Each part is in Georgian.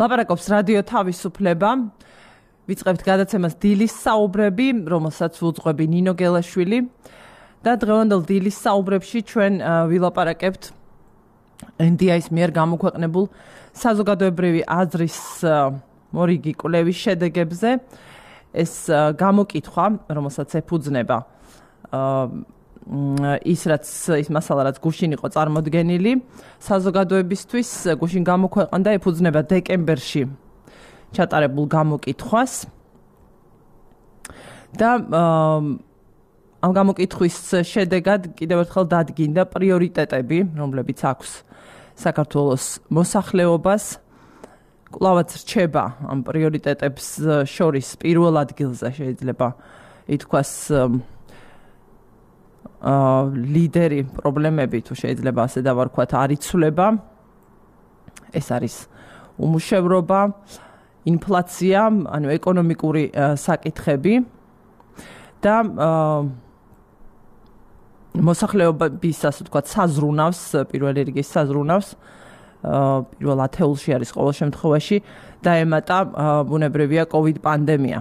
ლაპარაკობს რადიო თავისუფლება. ვიწყებთ გადაცემას დილის საუბრები, რომელსაც უძღვები ნინო გელაშვილი და დღევანდელ დილის საუბრებში ჩვენ ვილაპარაკებთ NDI-ის მიერ გამოქვეყნებულ საზოგადოებრივი აზრის მორიგი კვლევის შედეგებზე. ეს გამოკითხვა, რომელსაც ეფუძნება ის მასალა, რაც გუშინ იყო წარმოდგენილი საზოგადოებისთვის, გუშინ გამოქვეყნდა, ეფუძნება დეკემბერში ჩატარებულ გამოკითხვას და ამ გამოკითხვის შედეგად კიდევ ერთხელ დადგინდა პრიორიტეტები, რომლებიც აქვს საქართველოს მოსახლეობას. კვლავაც რჩება ამ პრიორიტეტებს შორის პირველ ადგილზე შეიძლება ითქვას ლიდერი პრობლემები, თუ შეიძლება ასე დავარქვათ, არ იცვლება. ეს არის უმუშევრობა, ინფლაცია, ანუ ეკონომიკური საკითხები და მოსახლეობის, ასე ვთქვათ, საზრუნავს, პირველი რიგის საზრუნავს პირველ ათეულში არის ყოველ შემთხვევაში დაემატა ბუნებრივია COVID პანდემია.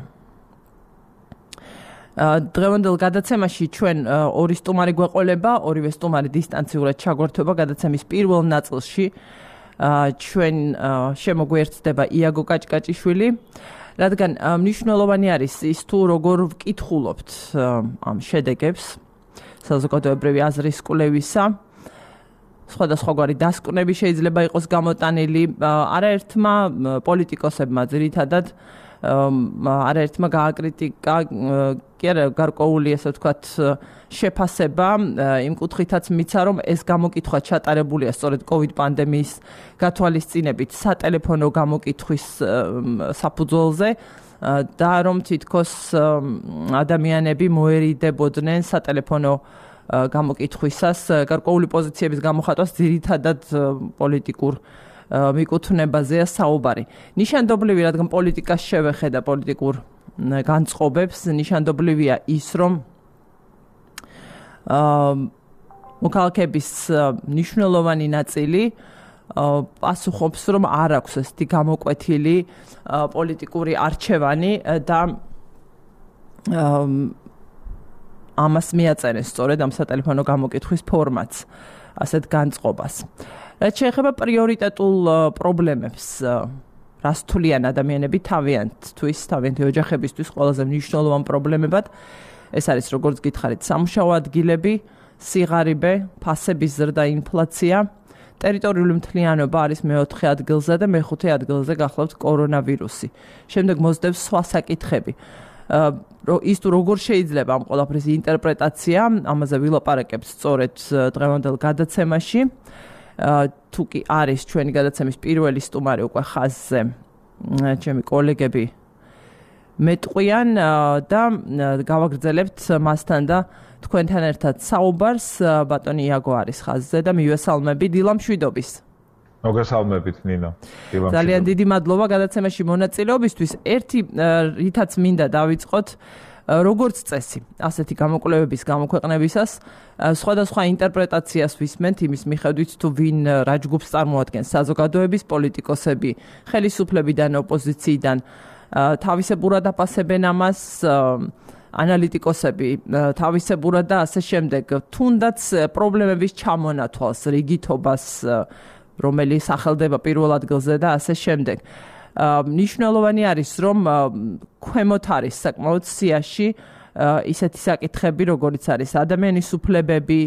დღევანდელ გადაცემაში ჩვენ ორი სტუმარი გვეყოლება, ორივე სტუმარი დისტანციურად ჩაგვერთვება გადაცემის პირველ ნაწილში. ჩვენ შემოგვიერთდება იაგო კაჭკაჭიშვილი, რადგან მნიშვნელოვანი არის ის თუ როგორ ვკითხულობთ ამ შედეგებს საზოგადოებრივი აზრის კვლევისა. სხვადასხვაგვარი დასკვნები შეიძლება იყოს გამოტანილი არაერთმა პოლიტიკოსებმა ძირითადად არაერთმა გააკრიტიკა კი არა გარკვეული ასე ვთქვათ შეფასება იმ კუთხითაც მიცა რომ ეს გამოკითხვა ჩატარებულია სწორედ COVID პანდემიის გათვალისწინებით სატელეფონო გამოკითხვის საფუძველზე და რომ თითქოს ადამიანები მოერიდებოდნენ სატელეფონო გამოკითხვისას გარკვეული პოზიციების გამოხატვას ძირითადად პოლიტიკურ მიკუთვნებაზეა საუბარი. ნიშანდობლივი, რადგან პოლიტიკას შევეხედა პოლიტიკურ განწყობებს, ნიშანდობლივია ის, რომ მოქალაქეების მნიშვნელოვანი ნაწილი პასუხობს, რომ არ აქვს ესეთი გამოკვეთილი პოლიტიკური არჩევანი და ამას მიაწერენ სწორედ ამ სატელეფონო გამოკითხვის ფორმატს, ასეთ განწყობას. რაც შეეხება პრიორიტეტულ პრობლემებს, რას თვლიან ადამიანები თავიანთთვის, თავიანთი ოჯახებისთვის ყველაზე მნიშვნელოვან პრობლემებად, ეს არის როგორც გითხარით, სამუშაო ადგილები, სიღარიბე, ფასების ზრდა, ინფლაცია, ტერიტორიული მთლიანობა არის მეოთხე ადგილზე და მეხუთე ადგილზე გახლავთ კორონავირუსი. შემდეგ მოსდევს სხვა საკითხები. ის თუ როგორ შეიძლება ამ ყველაფრის ინტერპრეტაცია, ამაზე ვილაპარაკებთ სწორედ დღევანდელ გადაცემაში. თუ კი არის ჩვენი გადაცემის პირველი სტუმარი უკვე ხაზზე, ჩემი კოლეგები მეტყვიან და გავაგრძელებთ მასთან და თქვენთან ერთად საუბარს. ბატონი იაგო არის ხაზზე და მივესალმები დილა მშვიდობის. მოგესალმებით ნინო. ძალიან დიდი მადლობა გადაცემაში მონაწილეობისთვის. ერთი რითაც მინდა დავიწყოთ, როგორც წესი, ასეთი გამოკვლევების გამოქვეყნებისას სხვადასხვა ინტერპრეტაციას ვისმენთ იმის მიხედვით, თუ ვინ რა ჯგუფს წარმოადგენს საზოგადოების პოლიტიკოსები, ხელისუფლებიდან, ოპოზიციიდან, თავისებურად აფასებენ ამას ანალიტიკოსები, თავისებურად და ასე შემდეგ. თუნდაც პრობლემების ჩამონათვალს, რიგითობას რომელიც სახელდება პირველ ადგილზე და ასე შემდეგ. მნიშვნელოვანი არის, რომ ქვემოთ არის საკმაოდ სიაში ისეთი საკითხები, როგორიც არის ადამიანის უფლებები,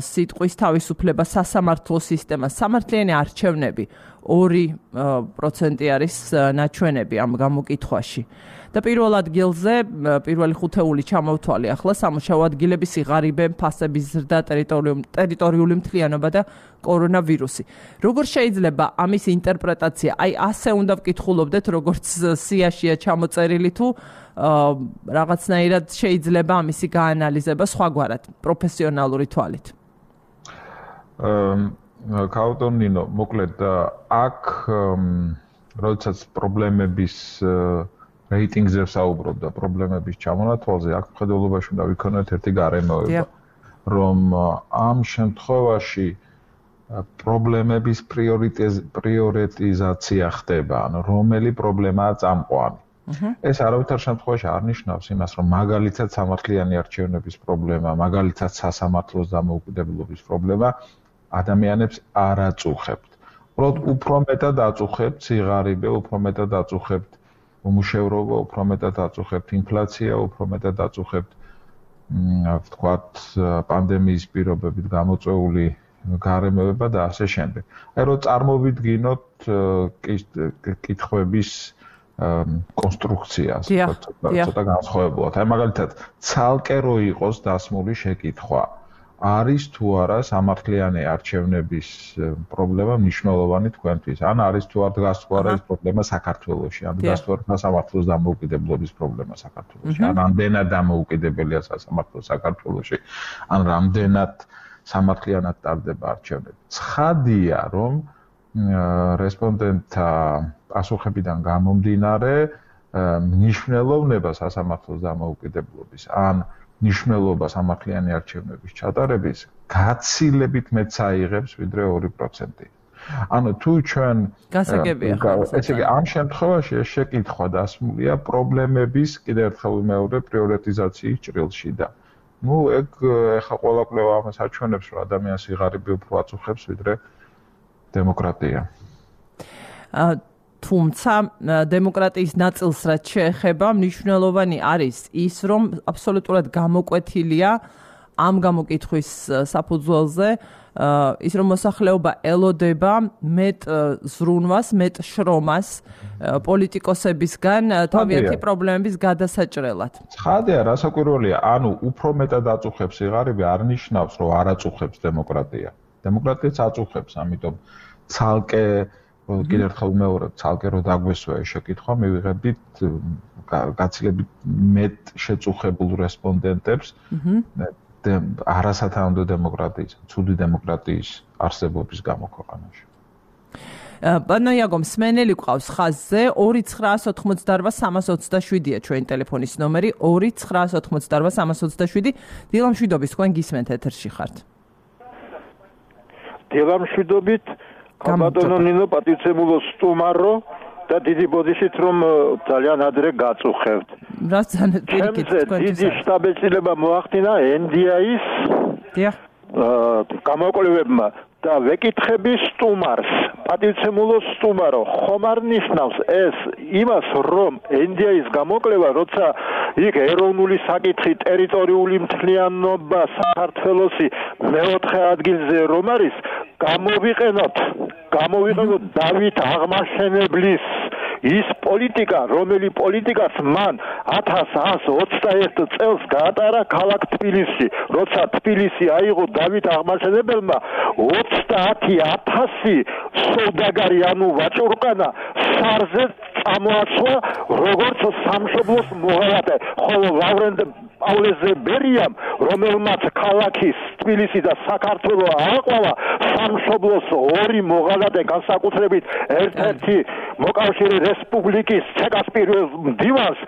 სიტყვის თავისუფლება, სასამართლო სისტემა, სამართლიანი არჩევნები 2% არის ნაჩვენები ამ გამოკითხვაში. და პირველ ადგილზე პირველი ხუთეული ჩამოვთვალე ახლა სამუშაო ადგილები, სიღარიბე, ფასების ზრდა, ტერიტორიული მთლიანობა და კორონავირუსი. როგორ შეიძლება ამის ინტერპრეტაცია, აი ასე უნდა ვკითხულობდეთ, როგორც სიაშია ჩამოწერილი თუ რაღაცნაირად შეიძლება ამისი გაანალიზება სხვაგვარად, პროფესიონალური თვალით. ქაუტონინო, მოკლედ აქ როდესაც პრობლემების რეიტინგზე საუბრობ და პრობლემების ჩამონათვალზე, აქ მხედველობაში უნდა ვიქონოთ ერთი გარემოება, რომ ამ შემთხვევაში პრობლემების პრიორიტიზაცია ხდება, ანუ რომელი პრობლემაა წამყვანი. ეს არავითარ შემთხვევაში არ ნიშნავს იმას, რომ მაგალითად სამართლიანი არჩევნების პრობლემა, მაგალითად სასამართლოს დამოუკიდებლობის პრობლემა ადამიანებს არ აწუხებთ. უბრალოდ უფრო მეტად აწუხებთ სიღარიბე, უფრო მეტად აწუხებთ უმუშევრობა, უფრო მეტად აწუხებთ ინფლაცია, უფრო მეტად აწუხებთ ვთქვათ პანდემიის პირობებით გამოწვეული გარემოება და ასე შემდეგ. აი რომ წარმოვიდგინოთ კითხვების კონსტრუქციას, ცოტა განსხვავებულად. აი მაგალითად, ცალკე რო იყოს დასმული შეკითხვა, არის თუ არა სამართლიანი არჩევნების პრობლემა მნიშვნელოვანი თქვენთვის? ან არის თუ არ დგას თუ არა ეს პრობლემა საქართველოში? ან დგას თუ არა სამართლოს დამოუკიდებლობის პრობლემა საქართველოში? ან რამდენად დამოუკიდებელია სასამართლო საქართველოში? ან რამდენად სამართლიანად ტარდება არჩევნები? ცხადია, რომ რესპონდენტთა პასუხებიდან გამომდინარე მნიშვნელოვნება სასამართლოს დამოუკიდებლობის ან ნიშნულობა სამართლიანი არჩევნების ჩატარების გაცილებით მეც აიღებს ვიდრე 2%. ანუ თუ ჩვენ გასაგებია ესე იგი ამ შემთხვევაში ეს შეკითხვა დასმულია პრობლემების კიდევ ერთხელ მეორე პრიორიტიზაციის ჭრილში და ეგ ეხა ყველა კვლევა ამას აჩვენებს რომ ადამიანს სიღარიბე უფრო აწუხებს ვიდრე დემოკრატია. თუმცა დემოკრატიის ნაწილს რაც შეეხება მნიშვნელოვანი არის ის რომ აბსოლუტურად გამოკვეთილია ამ გამოკითხვის საფუძველზე ის რომ მოსახლეობა ელოდება მეტ ზრუნვას, მეტ შრომას პოლიტიკოსებისგან თავიანთი პრობლემების გადასაჭრელად. ცხადია, რასაკვირველია, ანუ უფრო მეტად აწუხებს სიღარიბე არ ნიშნავს რომ არ აწუხებს დემოკრატია. დემოკრატიაც აწუხებს, ამიტომ ცალკე კიდევ ერთხელ მეორე ცალკე რო დაგვესვა ეს შეკითხვა მივიღებით გაცილებით მეტ შეწუხებულ რესპონდენტებს არასათანადო დემოკრატიის, ცუდი დემოკრატიის არსებობის გამო ქვეყანაში. ბანო იაგო მსმენელი ყავს ხაზზე 2988327-ია ჩვენი ტელეფონის ნომერი 2988327. დილამშვიდობის თქვენ გისმენთ ეთერში ხართ. დილამშვიდობით კაბატონო ნინო პატივცემულო სტუმარო და დიდი ბოდიშით რომ ძალიან ადრე გაწუხებთ. რა ძალიან პირიქით თქვენ დიდი შტაბეჭდილება მოახდინა NDI-ის გამოკვლევებმა და ვეკითხები სტუმარს, პატივცემულო სტუმარო, ხომ არ ნიშნავს ეს იმას, რომ NDI-ის გამოკვლევა, როცა იქ ეროვნული საკითხი, ტერიტორიული მთლიანობა საქართველოსი მეოთხე ადგილზე რომ არის, გამოვიყენოთ დავით აღმაშენებლის ის პოლიტიკა, რომელი პოლიტიკაც მან 1121 წელს გაატარა ქალაქ თბილისში, როცა თბილისი აიღო დავით აღმაშენებელმა 30,000 სოუდაგარი ანუ ვაჭურკანა სარზე წამოაცვა როგორც სამშობლოს მოღალატე, ხოლო ლავრენტ პავლეზე ბერიამ, რომელმაც ქალაქის თბილისი და საქართველო ააყვავა, სამშობლოს ორი მოღალატე განსაკუთრებით ერთ-ერთი მოკავშირე რესპუბლიკის ცეკას პირველ მდივანს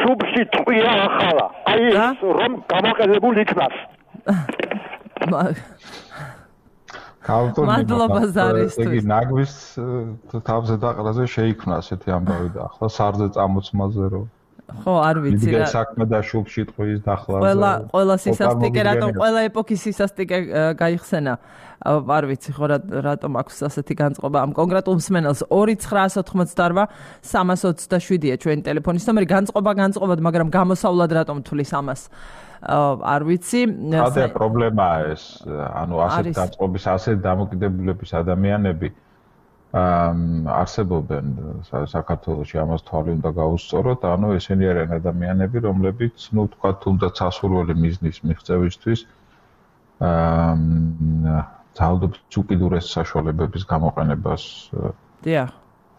შუბში ტყვია ახალა. აი ეს რომ გამოყენებულ იქნას. მადლობა ზარისთვის. იგი ნაგვის თავზე დაყრაზე შეიქმნა ასეთი ამბავი და ახლა სარზე წამოწმაზე რომ ხო, არ ვიცი რა. საქმე და შუბში ტყვის დახლა. ყველა სისასტიკე, რატომ ყველა ეპოქის სისასტიკე გაიხსენა. არ ვიცი ხო რატომ აქვს ასეთი განწყობა ამ კონკრეტულ მსმენელს 2988327-ია ჩვენი ტელეფონის ნომერი. განწყობა, მაგრამ გამოსავლად რატომ თulis ამას? არ ვიცი. ხადა პრობლემაა ეს, ანუ ასეთ განწყობის, ასეთ დამოკიდებულების ადამიანები არსებობენ საქართველოში, ამას თვალი უნდა გაუსწოროთ, ანუ ესენი არიან ადამიანები, რომლებიც, თქვა თუნდაც სასურველი მიზნის მიღწევისთვის ძალადობს უკიდურეს საშუალებების გამოყენებას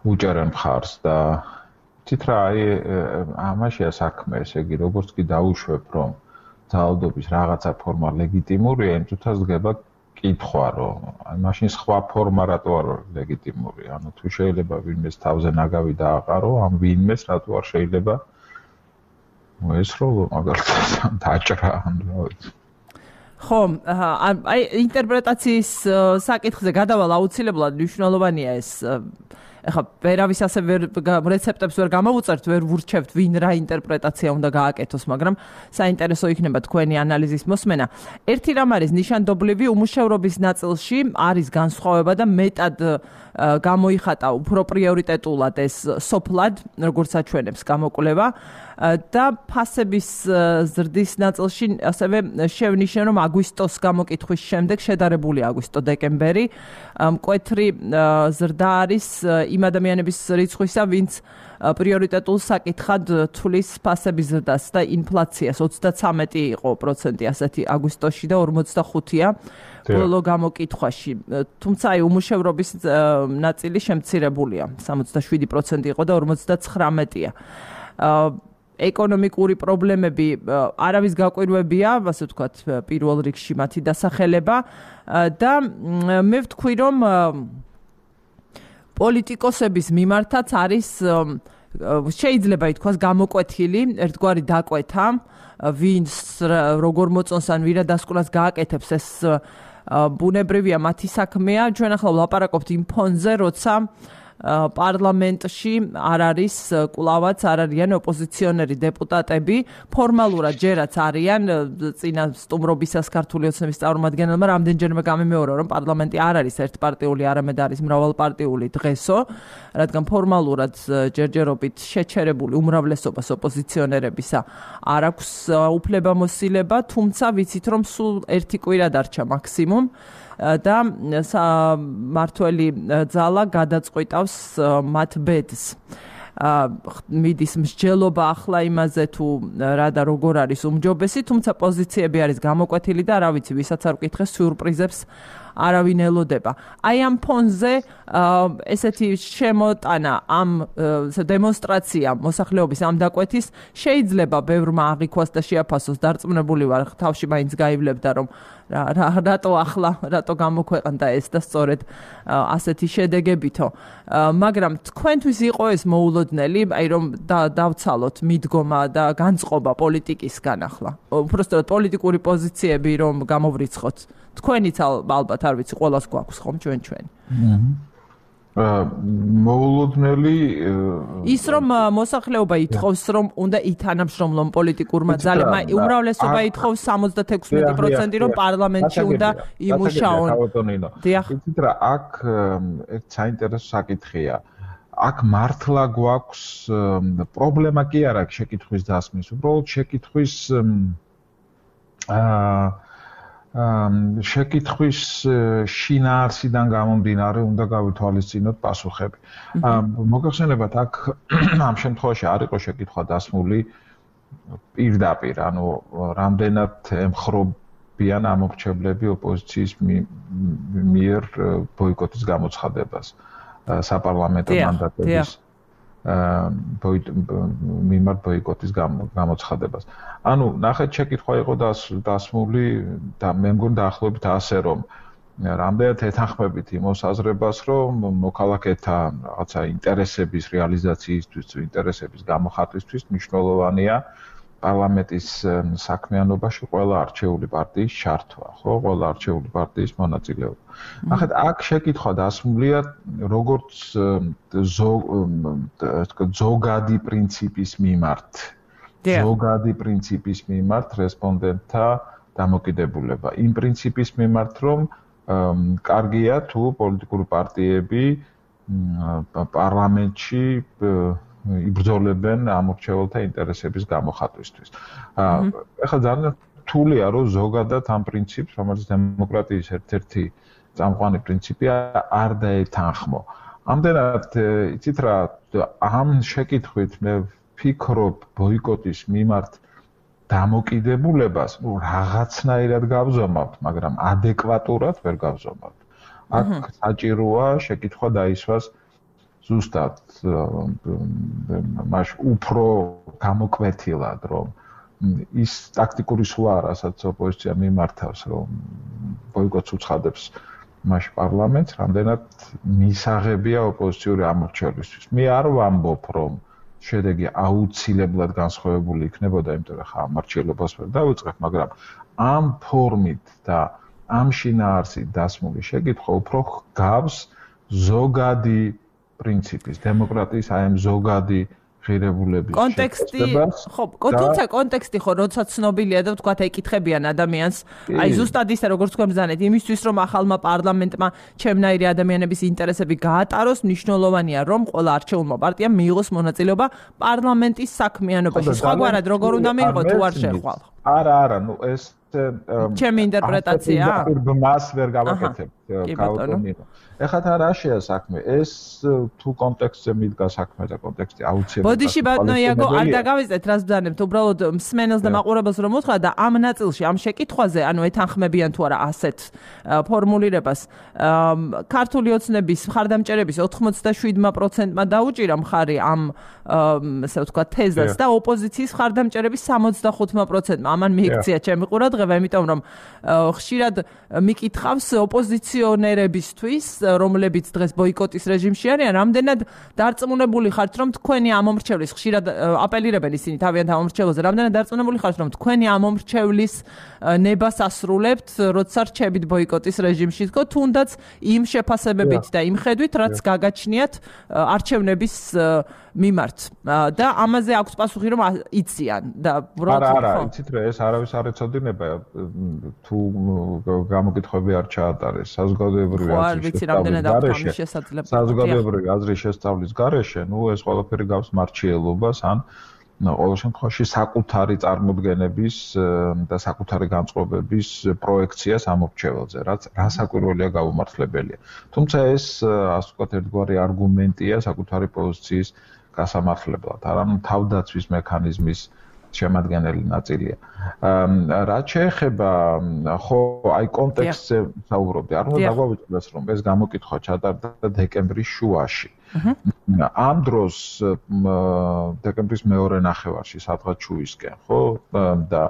უჭერენ მხარს და თვით რა ამაშია საქმე, ესე იგი, როგორც კი დაუშვებ, რომ ძალადობის რაღაცა ფორმა ლეგიტიმურია, იმ წუთას დგება კითხვა, რომ მაშინ სხვა ფორმა რატო არ ლეგიტიმური? ანუ თუ შეიძლება ვინმეს თავზე ნაგავი დააყარო, ამ ვინმეს რატო არ შეიძლება ესროლო მაგალითად დაჭრა, ანუ რა ვიცი. ხო, აი ინტერპრეტაციის საკითხზე გადავალ აუცილებლად მნიშვნელოვანია ეს. ეხლა ვერავის ასე რეცეპტებს ვერ გამოვუწერთ, ვერ ვურჩევთ ვინ რა ინტერპრეტაცია უნდა გააკეთოს, მაგრამ საინტერესო იქნება თქვენი ანალიზის მოსმენა. ერთი რამ არის ნიშანდობლივი უმუშევრობის ნაწილში არის განსხვავება და მეტად გამოიხატა უფრო პრიორიტეტულად ეს სოფლად, როგორც აჩვენებს გამოკვლევა და ფასების ზრდის ნაწილში ასევე შევნიშნე, რომ აგვისტოს გამოკითხვის შემდეგ შედარებული აგვისტო-დეკემბერი მკვეთრი ზრდა არის იმ ადამიანების რიცხვისა, ვინც პრიორიტეტულ საკითხად თulis ფასების ზრდას და ინფლაციას 33 იყო პროცენტი ასეთი აგვისტოში და 45-ია ბოლო გამოკითხვაში. თუმცა აი უმუშევრობის ნაწილი შემცირებულია, 67% იყო და 59-ია. ეკონომიკური პრობლემები არავის გაკვირვებია, ასე ვთქვათ, პირველ რიგში მათი დასახელება და მე ვთქვი, რომ პოლიტიკოსების მიმართაც არის შეიძლება ითქვას გამოკვეთილი, ერთგვარი დაკვეთა, ვინც როგორ მოწონს ან ვირა დასკვნას გააკეთებს, ეს ბუნებრივია მათი საქმეა. ჩვენ ახლა ვლაპარაკობთ იმ ფონზე, როცა პარლამენტში არ არის კვლავაც არ არიან ოპოზიციონერი დეპუტატები, ფორმალურად ჯერაც არიან წინა სტუმრობისას ქართული ოცნების წარმომადგენელმა რამდენჯერმე გამიმეორა, რომ პარლამენტი არ არის ერთპარტიული, არამედ არის მრავალპარტიული დღესო, რადგან ფორმალურად ჯერჯერობით შეჩერებული უმრავლესობას ოპოზიციონერებისა არ აქვს უფლებამოსილება, თუმცა ვიცით, რომ სულ ერთი კვირა დარჩა მაქსიმუმ და მართველი ძალა გადაწყვიტავს მათ ბედს. მიდის მსჯელობა ახლა იმაზე თუ რა და როგორ არის უმჯობესი, თუმცა პოზიციები არის გამოკვეთილი და რა ვიცი, ვისაც არ ვკითხეს სიურპრიზებს არავინ ელოდება. აი ამ ფონზე ესეთი შემოტანა, ამ დემონსტრაცია მოსახლეობის ამ დაკვეთის შეიძლება ბევრმა აღიქვას და შეაფასოს, დარწმუნებული ვარ, თავში მაინც გაივლებდა, რომ რატო ახლა, რატო გამოქვეყნდა ეს და სწორედ ასეთი შედეგებითო. მაგრამ თქვენთვის იყო ეს მოულოდნელი, აი რომ დავცალოთ მიდგომა და განწყობა პოლიტიკისგან ახლა. უბრალოდ პოლიტიკური პოზიციები რომ გამოვრიცხოთ. თქვენიც ალბათ არ ვიცი, ყველას გვაქვს ხომ ჩვენ. მოულოდნელი ის რომ მოსახლეობა ითხოვს, რომ უნდა ითანამშრომლონ პოლიტიკურმა ძალებმა, უმრავლესობა ითხოვს 76% რომ პარლამენტში უნდა იმუშაონ. იცით რა, აქ ერთ საინტერესო საკითხია. აქ მართლა გვაქვს პრობლემა კი არ აქვს შეკითხვის დასმის, უბრალოდ შეკითხვის შეკითხვის შინაარსიდან გამომდინარე უნდა გავითვალისწინოთ პასუხები. მოგახსენებათ, აქ ამ შემთხვევაში არ იყო შეკითხვა დასმული პირდაპირ, ანუ რამდენად ემხრობიან ამორჩევლები ოპოზიციის მიერ ბოიკოტის გამოცხადებას, საპარლამენტო მანდატების მიმართ ბოიკოტის გამოცხადებას. ანუ ნახეთ, შეკითხვა იყო დასმული და მე მგონი დაახლოებით ასე, რომ რამდენად ეთანხმებით იმ მოსაზრებას, რომ მოქალაქეთა რაღაცა ინტერესების რეალიზაციისთვის, ინტერესების გამოხატვისთვის მნიშვნელოვანია პარლამენტის საქმიანობაში ყველა არჩეული პარტიის ჩართვა, ხო, ყველა არჩეული პარტიის მონაწილეობა. ნახეთ, აქ შეკითხვა დასმულია როგორც ზოგადი პრინციპის მიმართ. ზოგადი პრინციპის მიმართ რესპონდენტთა დამოკიდებულება. იმ პრინციპის მიმართ, რომ კარგია თუ პოლიტიკური პარტიები პარლამენტში იბრძოლებენ ამორჩეველთა ინტერესების გამოხატვისთვის. ეხლა ძალიან რთულია, რომ ზოგადად ამ პრინციპს, რომელიც დემოკრატიის ერთ-ერთი წამყვანი პრინციპია, არ დაეთანხმო. ამდენად, იცით რა, ამ შეკითხვით მე ვფიქრობ ბოიკოტის მიმართ დამოკიდებულებას, რაღაცნაირად გავზომავთ, მაგრამ ადეკვატურად ვერ გავზომავთ. აქ საჭიროა შეკითხვა დაისვას ზუსტად მაშ უფრო გამოკვეთილად, რომ ის ტაქტიკური სვლა, რასაც ოპოზიცია მიმართავს, რომ ბოიკოტს უცხადებს მაშ პარლამენტს, რამდენად მისაღებია ოპოზიციური ამორჩევლისთვის. მე არ ვამბობ, რომ შედეგი აუცილებლად განსხვავებული იქნებოდა, იმიტომ რომ ხა ამარჩიელობას ვერ დავიწყებ, მაგრამ ამ ფორმით და ამ შინაარსით დასმული შეკითხვა უფრო გავს ზოგადი პრინციპის, დემოკრატიის აი ამ ზოგადი ღირებულების კონტექსტი, ხო, თუმცა კონტექსტი ხო, როცა ცნობილია და ვთქვათ, ეკითხებიან ადამიანს, აი ზუსტად ისე როგორც თქვენ ბრძანეთ, იმისთვის რომ ახალმა პარლამენტმა ჩემნაირი ადამიანების ინტერესები გაატაროს, მნიშვნელოვანია რომ ყველა არჩეულმა პარტიამ მიიღოს მონაწილეობა პარლამენტის საქმიანობაში. სხვაგვარად როგორ უნდა მიიღოს თუ არ შეხვალ? არა, ნუ ეს ჩემი ინტერპრეტაცია? მას ვერ გავაკეთებ, გაუტონინო. ეხლა რაშია საქმე? ეს თუ კონტექსტზე მიდგა საქმე და კონტექსტი აუცილებლად. ბოდიში ბატონო იაგო, არ დაგავიწყეთ, რას ბრძანებთ, უბრალოდ მსმენელს და მაყურებელს რომ უთხრა და ამ ნაწილში, ამ შეკითხვაზე, ანუ ეთანხმებიან თუ არა ასეთ ფორმულირებას, ქართული ოცნების მხარდამჭერების 87%-მა დაუჭირა მხარი ამ ასე ვთქვათ თეზას და ოპოზიციის მხარდამჭერების 65%-მა. ამან მიიქცია ჩემი ყურადღება, იმიტომ რომ ხშირად მიკითხავს ოპოზიციონერებისთვის, რომლებიც დღეს ბოიკოტის რეჟიმში არიან, რამდენად დარწმუნებული ხართ, რომ თქვენი ამომრჩევლის ხშირად აპელირებენ ისინი თავიანთ ამომრჩევლზე, რამდენად დარწმუნებული ხართ, რომ თქვენი ამომრჩევლის ნებას ასრულებთ, როცა რჩებით ბოიკოტის რეჟიმში, თუნდაც იმ შეფასებებით და იმ ხედვით, რაც გაგაჩნიათ არჩევნების მიმართ და ამაზე აქვს პასუხი რომ იციან და არა, იცით რა, ეს არავის არ ეცოდინება თუ გამოკითხვები არ ჩაატარეს საზოგადოებრივი აზრის შესწავლის გარეშე, ნუ ეს ყველაფერი გავს მარჩიელობას ან ყოველ შემთხვევაში საკუთარი წარმოდგენების და საკუთარი განწყობების პროექციას ამორჩეველზე, რაც რასაკვირველია გაუმართლებელია. თუმცა ეს ასე ვთქვათ ერთგვარი არგუმენტია საკუთარი პოზიციის გასამართლებლად, არამედ თავდაცვის მექანიზმის შემადგენელი ნაწილია. რაც შეეხება ხო აი კონტექსტზე საუბრობდი, არ უნდა დაგვავიწყდეს რომ ეს გამოკითხვა ჩატარდა დეკემბრის შუაში. ამ დროს დეკემბრის მეორე ნახევარში სადღაც შუისკენ, ხო? და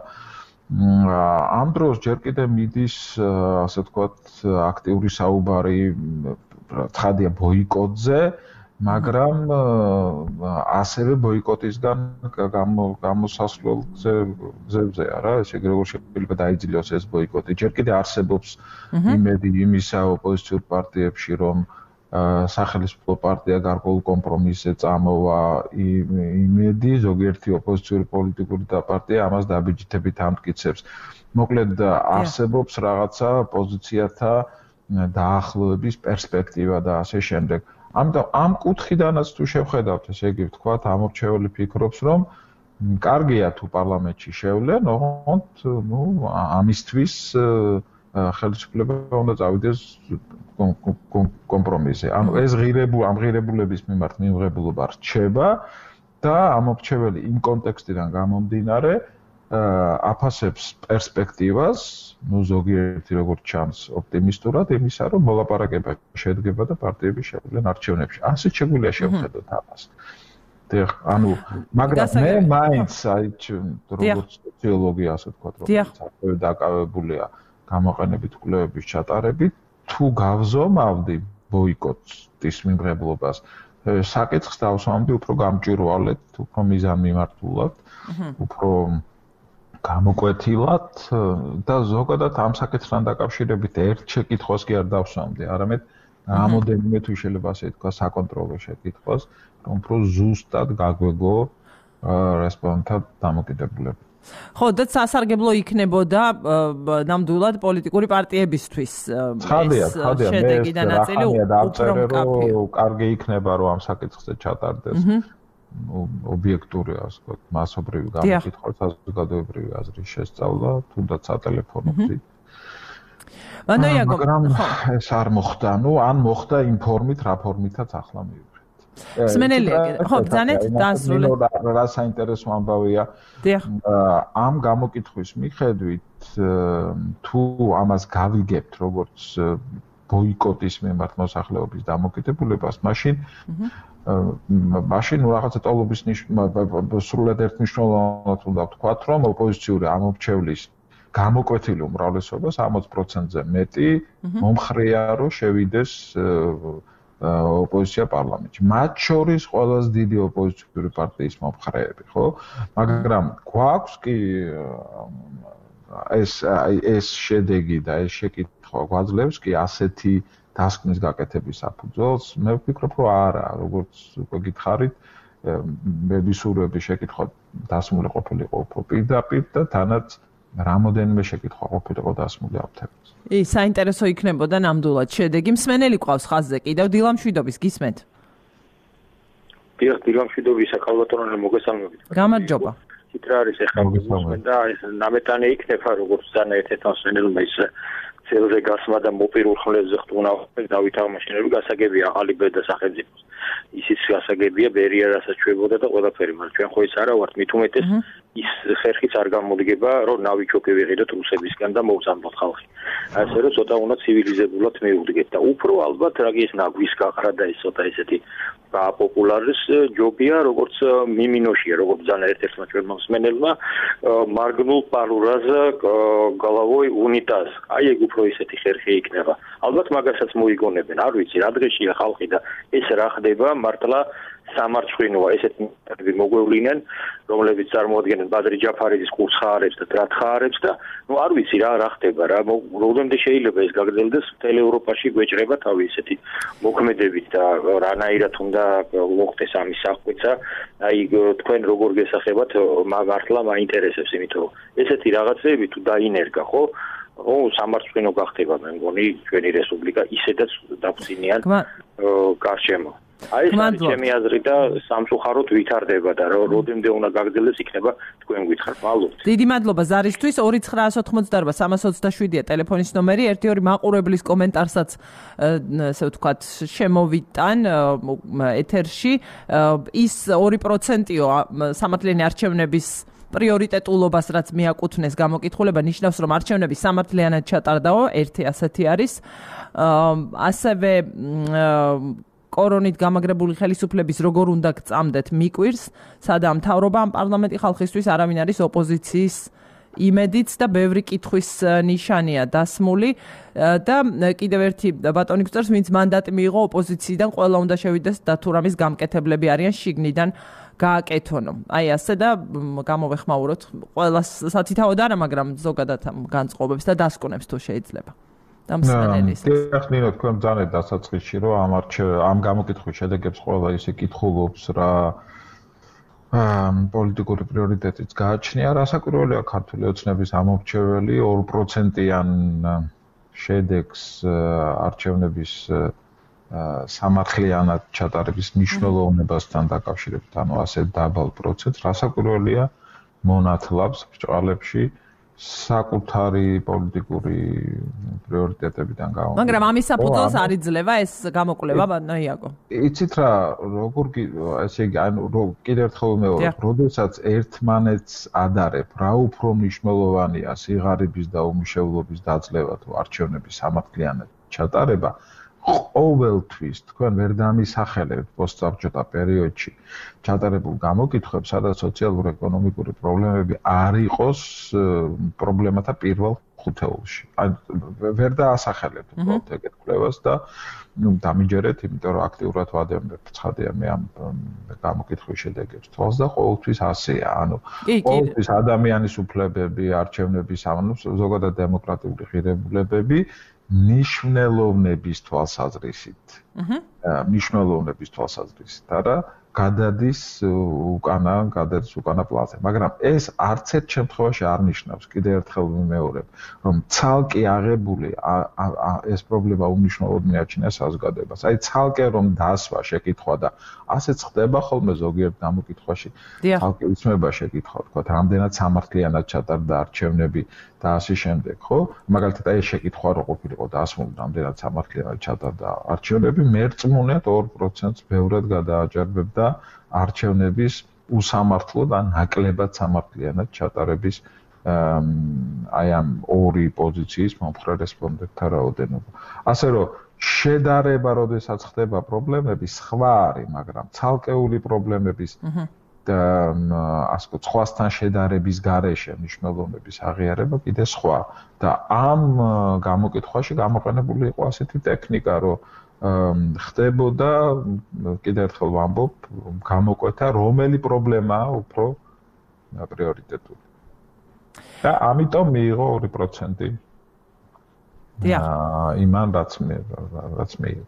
ამ დროს ჯერ კიდევ მიდის ასე ვთქვათ აქტიური საუბარი ცხადია ბოიკოტზე, მაგრამ ასევე ბოიკოტისგან გამოსასვლელ გზებზე არა, ესე იგი როგორ შეიძლება დაიძილოს ეს ბოიკოტი. ჯერ კიდევ არსებობს იმედი იმისა ოპოზიციურ პარტიებში, რომ სახელმწიფო პარტია გარკვეულ კომპრომისზე წამოვა, იმედი ზოგიერთი ოპოზიციური პოლიტიკური პარტია ამას დაბიჯითებით ამტკიცებს. მოკლედ არსებობს რაღაცა პოზიციათა დაახლოების პერსპექტივა და ასე შემდეგ. ამიტომ ამ კუთხიდანაც თუ შევხედავთ, ესე იგი ვთქვათ, ამორჩეველი ფიქრობს, რომ კარგია თუ პარლამენტში შევლენ, ოღონდ ამისთვის ხელისუფლება უნდა წავიდეს კომპრომისზე. ანუ ეს ამ ღირებულების მიმართ მიმღებულობა რჩება და ამორჩეველი იმ კონტექსტიდან გამომდინარე აფასებს პერსპექტივას, ზოგიერთი როგორც ჩანს ოპტიმისტურად იმისა, რომ მოლაპარაკება შედგება და პარტიები შევლენ არჩევნებში. ასეც შეგვიძლია შევხედოთ ამას. ანუ მაგრამ მე მაინც აი როგორც სოციოლოგი ასე ვთქვათ, რომელიც ასევე დაკავებულია გამოყენებით კვლევების ჩატარებით, თუ გავზომავდი ბოიკოტის მიმღებლობას, საკითხს დავსვამდი უფრო გამჭვირვალედ, უფრო მიზანმიმართულად, უფრო გამოკვეთილად და ზოგადად ამ საკითხთან დაკავშირებით ერთ შეკითხვას კი არ დავსვამდი, არამედ რამოდენიმე თუ შეიძლება ასე თქვა საკონტროლო შეკითხვას, რომ უფრო ზუსტად გაგვეგო რესპონდენტთა დამოკიდებულება. ხო, და სასარგებლო იქნებოდა ნამდვილად პოლიტიკური პარტიებისთვის. შედეგი და ნაწილი უფრო მკაფიო. კარგი იქნება რომ ამ საკითხზე ჩატარდეს. ობიექტური ასე ვთქვათ, მასობრივი გამოკითხვა, საზოგადოებრივი აზრის შესწავლა, თუნდაც სატელეფონო გზით. მაგრამ ეს არ მოხდა, ან მოხდა იმ ფორმით, რა ფორმითაც ახლა მივიღეთ. მსმენელია, ხო, ბრძანეთ დაასრულეთ. რა საინტერესო ამბავია. ამ გამოკითხვის მიხედვით, თუ ამას გავიგებთ, როგორც ბოიკოტის მიმართ მოსახლეობის დამოკიდებულებას, მაშინ რაღაცა ტოლობის სრულად ერთმნიშვნელოვნად უნდა ვთქვათ, რომ ოპოზიციური ამორჩევლის გამოკვეთილი უმრავლესობა 60%-ზე მეტი მომხრეა, რომ შევიდეს ოპოზიცია პარლამენტში. მათ შორის ყველაზე დიდი ოპოზიციური პარტიის მომხრეები, ხო? მაგრამ გვაქვს კი ეს შედეგი და ეს შეკითხვა გვაძლევს კი ასეთი დასკვნის გაკეთების საფუძველს. მე ვფიქრობ, რომ არა, როგორც უკვე გითხარით, მე ვისურვები შეკითხვა დასმული ყოფილიყო უფრო პირდაპირ და თანაც რამოდენიმე შეკითხვა ყოფილიყო დასმული ამ თემაზე. საინტერესო იქნებოდა ნამდვილად შედეგი. მსმენელი ყავს ხაზზე კიდევ დილამშვიდობის გისმენთ. დილამშვიდობის საკალბატონო მოგესალმებით. გამარჯობა. ის რა არის ახლა და ეს ნამეტანი იქნება როგორც ძალიან ერთ-ერთ მსმენელმა ის ცელზე გასმა და მოპირულ ხლებზე ხტუნა დავითაღმაშინებელი გასაგებია ახალი ბედა სახელმწიფოს. ისიც გასაგებია ბერია რასაც ჩვებოდა და ყველაფერი, მაგრამ ჩვენ ხო ის არა ვართ, მით უმეტეს ის ხერხიც არ გამოდგება, რომ ნავიჩოკი ვიღიდოთ რუსებისგან და მოვზამბოთ ხალხი. ასე რომ ცოტა უნდა ცივილიზებულად მივუდგეთ და უფრო ალბათ რაგის ნაგვის გაყრა და ეს ცოტა ესეთი პოპულარის ჯობია, როგორც მიმინოშია, როგორც ძალიან ერთ-ერთმა ჩვენმა მსმენელმა მარგნულ პალურას გალავოი უნიტაზ. აი ეგ უფრო ისეთი ხერხი იქნება. ალბათ მაგასაც მოიგონებენ, არ ვიცი, რა დღეშია ხალხი და ეს რა ხდება, მართლა სამარცხვინოა ესეთი მეთოდები მოგვევლინენ, რომლებიც წარმოადგენენ ბადრი ჯაფარიძის კურს ხაარებს და დრათ ხაარებს და ნუ არ ვიცი რა ხდება რა, რომდენდე შეიძლება ეს გაგრძელდეს მთელ ევროპაში გვეჭრება თავი ესეთი მოქმედებით და რანაირად უნდა მოხდეს ამის აღკვეცა, აი თქვენ როგორ გესახებათ მართლა მაინტერესებს, იმიტომ რომ ესეთი რაღაცები თუ დაინერგა, ხო? სამარცხვინო გახდება მე მგონი ჩვენი რესპუბლიკა ისედაც დაგწინიან გარშემო. აი ეს ჩემი აზრი და სამწუხაროდ ვითარდება და როდემდე უნდა გაგრძელდეს იქნება თქვენ გითხართ. მადლობთ. დიდი მადლობა ზარისთვის. 2988-327-ია ტელეფონის ნომერი. 1-2 მაყურებლის კომენტარსაც ესე ვთქვათ შემოვიტან ეთერში. ის 2%-ო სამართლიანი არჩევნების პრიორიტეტულობას რაც მიაკუთვნეს გამოკითხულება ნიშნავს რომ არჩევნები სამართლიანად ჩატარდაო, ერთი ასეთი არის. ასევე კორონით გამაგრებული ხელისუფლების როგორ უნდა გწამდეთ მიკვირს, სადაა მთავრობა ამ პარლამენტი ხალხისთვის არავინ არის ოპოზიციის იმედიც და ბევრი კითხვის ნიშანია დასმული და კიდევ ერთი ბატონი გწერს, ვინც მანდატი მიიღო ოპოზიციიდან, ყველა უნდა შევიდეს და თუ რამის გამკეთებლები არიან შიგნიდან გააკეთონო. აი ასე და გამოვეხმაუროთ ყველას სათითაოდ არა, მაგრამ ზოგადად განწყობებს და დასკვნებს თუ შეიძლება. და მსმენელის. დიახნინო თქვენ ძალიან დასაწყისში რომ ამ გამოკითხვის შედეგებს ყველა ისე კითხულობს რა პოლიტიკური პრიორიტეტიც გააჩნია, რასაკვირველია ქართული ოცნების ამორჩეველი 2%-იან შედეგს არჩევნების სამართლიანად ჩატარების მნიშვნელობასთან დაკავშირებით, ანუ ასე დაბალ პროცენტს, რასაკვირველია მონათლავს ბრჭყალებში საკუთარი პოლიტიკური პრიორიტეტებიდან გამომდინარე. მაგრამ ამის საფუძველს არ იძლევა ეს გამოკვლევა, ბატონო. იცით რა, როგორ ესე იგი, ანუ კიდევ ერთხელ ვიმეორებ, როდესაც ერთმანეთს ადარებ, რა უფრო მნიშვნელოვანია სიღარიბის და უმუშევრობის დაძლევა თუ არჩევნების სამართლიანად ჩატარება, ყოველთვის თქვენ ვერ დამისახელებთ პოსტსაბჭოთა პერიოდში ჩატარებულ გამოკითხვებს, სადაც სოციალურ-ეკონომიკური პრობლემები არ იყოს პრობლემათა პირველ ხუთეულში. ან ვერ დაასახელებთ უბრალოდ ეგეთ კვლევას და დამიჯერეთ, იმიტომ რომ აქტიურად ვადევნებ ცხადია მე ამ გამოკითხვის შედეგებს თვალს და ყოველთვის ასეა. ანუ ყოველთვის ადამიანის უფლებები, არჩევნების ზოგადად დემოკრატიული ღირებულებები ნიშნულოვნების თვალსაზრისით. ნიშნულოვნების თვალსაზრისით, არა, გადადის უკანა პლანზე. მაგრამ ეს არც ერთ შემთხვევაში არ ნიშნავს, კიდევ ერთხელ ვიმეორებ, რომ ცალკე აღებული ეს პრობლემა უმნიშვნელოდ მიაჩნია საზოგადოებას. აი ცალკე რომ დასვა შეკითხვა და ასეც ხდება ხოლმე ზოგიერთ გამოკითხვაში. ცალკე იცმება შეკითხვა, თქვა, რამდენად სამართლიანად ჩატარდა არჩევნები და ასე შემდეგ, ხო? მაგალითად აი შეკითხვა რო ყოფილიყო დასმული, რამდენად სამართლიანად ჩატარდა არჩევნები, მერწმუნედ 2%-ს ბევრად გადააჭარბებდა არჩევნების უსამართლოდ ან ნაკლებად სამართლიანად ჩატარების აი ამ ორი პოზიციის მომხრე რესპონდენტთა რაოდენობა. ასე რომ შედარება, როდესაც ხდება პრობლემები, სხვა არის, მაგრამ ცალკეული პრობლემების და ასე ვთქვათ, სხვასთან შედარების გარეშე მნიშვნელოვნების აღიარება კიდე სხვა და ამ გამოკითხვაში გამოყენებული იყო ასეთი ტექნიკა, რომ ხდებოდა კიდევ ერთხელ ვამბობ გამოკვეთა რომელი პრობლემაა უფრო პრიორიტეტული. და ამიტომ მიიღო 2%. იმან რაც მიიღო.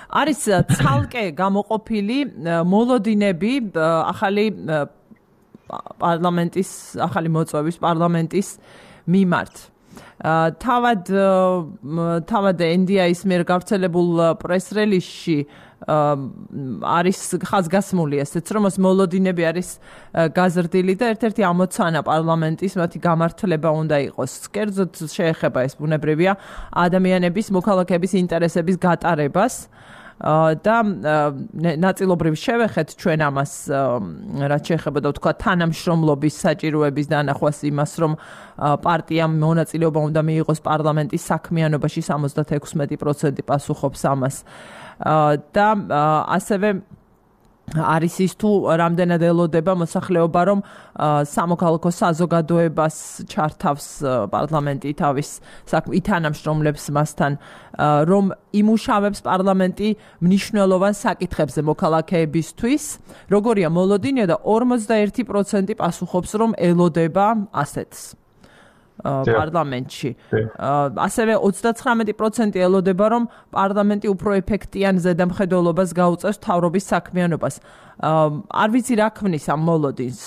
არის ცალკე გამოყოფილი მოლოდინები ახალი პარლამენტის ახალი მოწვევის პარლამენტის მიმართ. თავად NDI-ის მიერ გავრცელებულ პრეს-რელიზში არის ხაზგასმული ესეც რომ მოლოდინები არის გაზრდილი და ერთ-ერთი ამოცანა პარლამენტის მათი გამართლება უნდა იყოს. კერძოდ შეეხება ეს ბუნებრივია ადამიანების მოქალაქეების ინტერესების გატარებას და ნაწილობრივ შევეხეთ ჩვენ ამას რაც შეეხება და თქვა თანამშრომლობის საჭიროების დანახვას იმას რომ პარტიამ მონაწილეობა უნდა მიიღოს პარლამენტის საქმიანობაში 76% პასუხობს ამას და ასევე არის ის თუ რამდენად ელოდება მოსახლეობა რომ სამოქალაქო საზოგადოებას ჩართავს პარლამენტი თავის ითანამშრომლებს მასთან რომ იმუშავებს პარლამენტი მნიშვნელოვან საკითხებზე მოქალაქეებისთვის როგორია მოლოდინია და 41% პასუხობს რომ ელოდება ასეთს პარლამენტში. ასევე 39% ელოდება რომ პარლამენტი უფრო ეფექტიან ზედამხედველობას გაუწევს მთავრობის საქმიანობას. არ ვიცი რა ქმნის ამ მოლოდინს.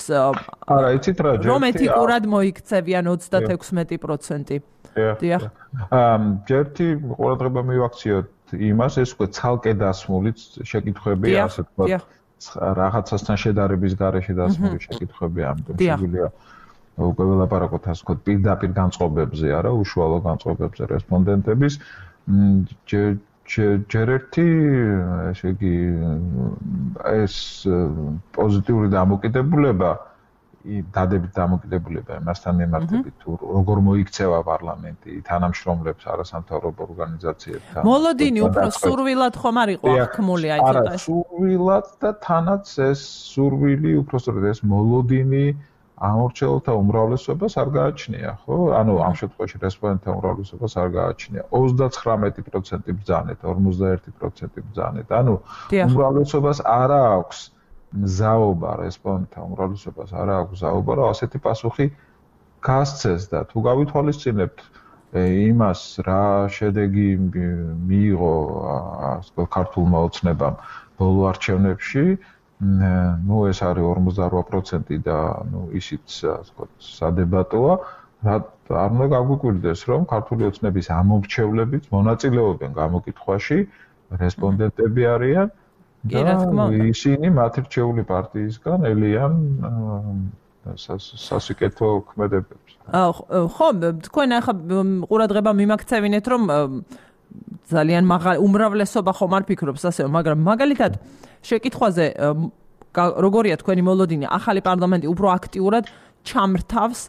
არა, იცით რა, რომ ეთიკურად მოიქცევიან 36%. დიახ. ჯერთი ყურადღება მივაქციოთ იმას, ეს უკვე ცალკე დასმული შეკითხვებია, ასე ვთქვათ, რაღაცასთან შედარების გარეშე დასმული შეკითხვებია, ამიტომ შეგვიძლია უკვე ველაპარაკოთ ასე ვთქვათ პირდაპირ განწყობებზე, არა, უშუალო განწყობებზე რესპონდენტების. ჯერ ერთი, ესე იგი, ეს პოზიტიური დამოკიდებულება, დადებით დამოკიდებულება იმასთან მიმართებით, თუ როგორ მოიქცევა პარლამენტი თანამშრომლებს არასამთავრობო ორგანიზაციებთან. მოლოდინი უფრო სურვილად ხომ არ იყო აღქმული აი ცოტა. არა, სურვილად და თანაც ეს სურვილი, უფრო სწორედ ეს მოლოდინი ამორჩეულთა უმრავლესობას არ გააჩნია, ხო? ანუ ამ შემთხვევაში რესპონდენტთა უმრავლესობას არ გააჩნია. 39% ბრძანეთ, 41% ბრძანეთ. ანუ უმრავლესობას არ აქვს მზაობა, რესპონდენტთა უმრავლესობას არ აქვს მზაობა, რომ ასეთი პასუხი გასცეს და თუ გავითვალისწინებთ იმას, რა შედეგი მიიღო ქართულმა ოცნებამ ბოლო არჩევნებში, ну ეს არის 48% და ну ისიც ასე ვთქვათ სადებატოა რა არ უნდა გაგვიკვირდეს რომ ქართული ოცნების ამომრჩევლებით მონაწილეობენ გამოკითხვაში რესპონდენტები არიან და ისინი მათ რჩეული პარტიისგან ელიან სასიკეთო ქმედებებს. ხო, თქვენ ახლა ყურადღება მიმაქცევინეთ რომ ძალიან უმრავლესობა ხომ არ ფიქრობს ასე, მაგრამ მაგალითად შეკითხვაზე როგორია თქვენი მოლოდინი, ახალი პარლამენტი უფრო აქტიურად ჩამრთავს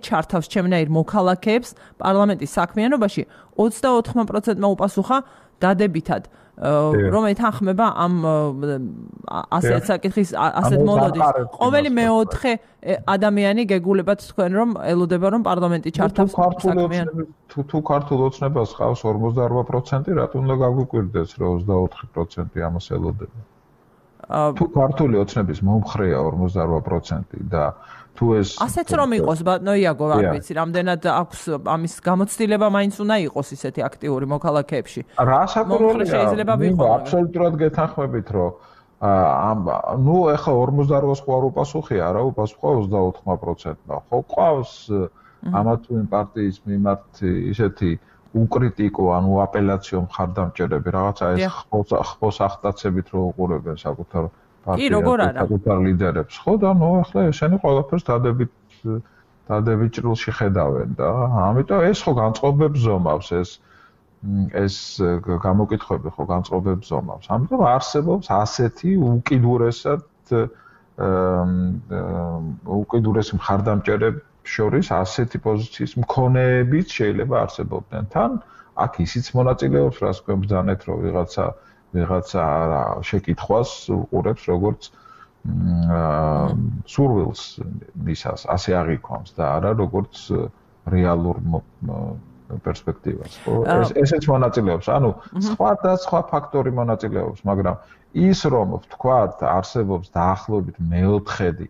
ჩართავს ჩემნაირ მოქალაქეებს პარლამენტის საქმიანობაში 24%-მა უპასუხა დადებითად, რომ ეთანხმება ამ ასეთ საკითხის ასეთ მოლოდინს. ყოველი მეოთხე ადამიანი გეგულებათ თქვენ რომ ელოდება რომ პარლამენტი ჩართავს საქმიანობას. თუ ქართულ ოცნებას ყავს 48%, რატომ უნდა გაგვიკვირდეს რომ 24% ამას ელოდება? თუ ქართული ოცნების მომხრეა 48% და თუ ეს ასეც რომ იყოს ბატონო იაგო, არ ვიცი, რამდენად აქვს ამის გამოცდილება მაინც უნდა იყოს ისეთი აქტიური მოქალაქეებში. რა საკურველია შეიძლება ვიყო. აბსოლუტურად გეთანხმებით რომ ნუ ეხა 48-ს ხო არ უპასუხია, არა, უპასუხა 24%-მა. ხო ყავს ამა თუ იმ პარტიის მიმართ ისეთი უკრიტიკო, ანუ აპელაციო მხარდამჭერები, რაღაცა ეს ხმოს ახტაცებით რო უყურებენ საკუთარ საკუთარ ლიდერებს, ხო და ნუ ახლა ესენი ყველაფერს დადებით ჭრილში ხედავენ და ამიტომ ეს ხო განწყობებს ზომავს ეს გამოკითხვები ხო განწყობებს ზომავს. ამიტომ არსებობს ასეთი უკიდურესი მხარდამჭერები შორის ასეთი პოზიციის მქონეებიც შეიძლება არსებობდნენ. თან აქ ისიც მონაწილეობს, რას გვებძანეთ, რომ ვიღაცა შეკითხვას უყურებს, როგორც სურვილს მისას, ასე აღიქვამს და არა როგორც რეალურ პერსპექტივას, ხო? ესეც მონაწილეობს, ანუ სხვა ფაქტორი მონაწილეობს, მაგრამ ის რომ ვთქვათ, არსებობს დაახლოებით მეოთხედი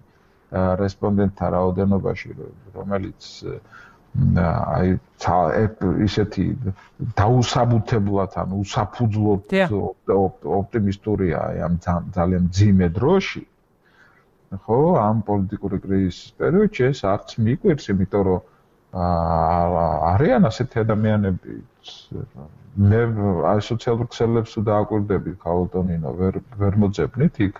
რესპონდენტთა რაოდენობაში, რომელიც აი ისეთი დაუსაბუთებლად, ანუ უსაფუძვლოდ ოპტიმისტურია ამ ძალიან მძიმე დროში, ხო, ამ პოლიტიკური კრიზისის პერიოდში ეს არც მიკვირს, იმიტომ რომ არიან ასეთი ადამიანები, მე აი სოციალურ ქსელებს თუ დააკვირდები, ქალბატონინო, ვერ მოძებნით იქ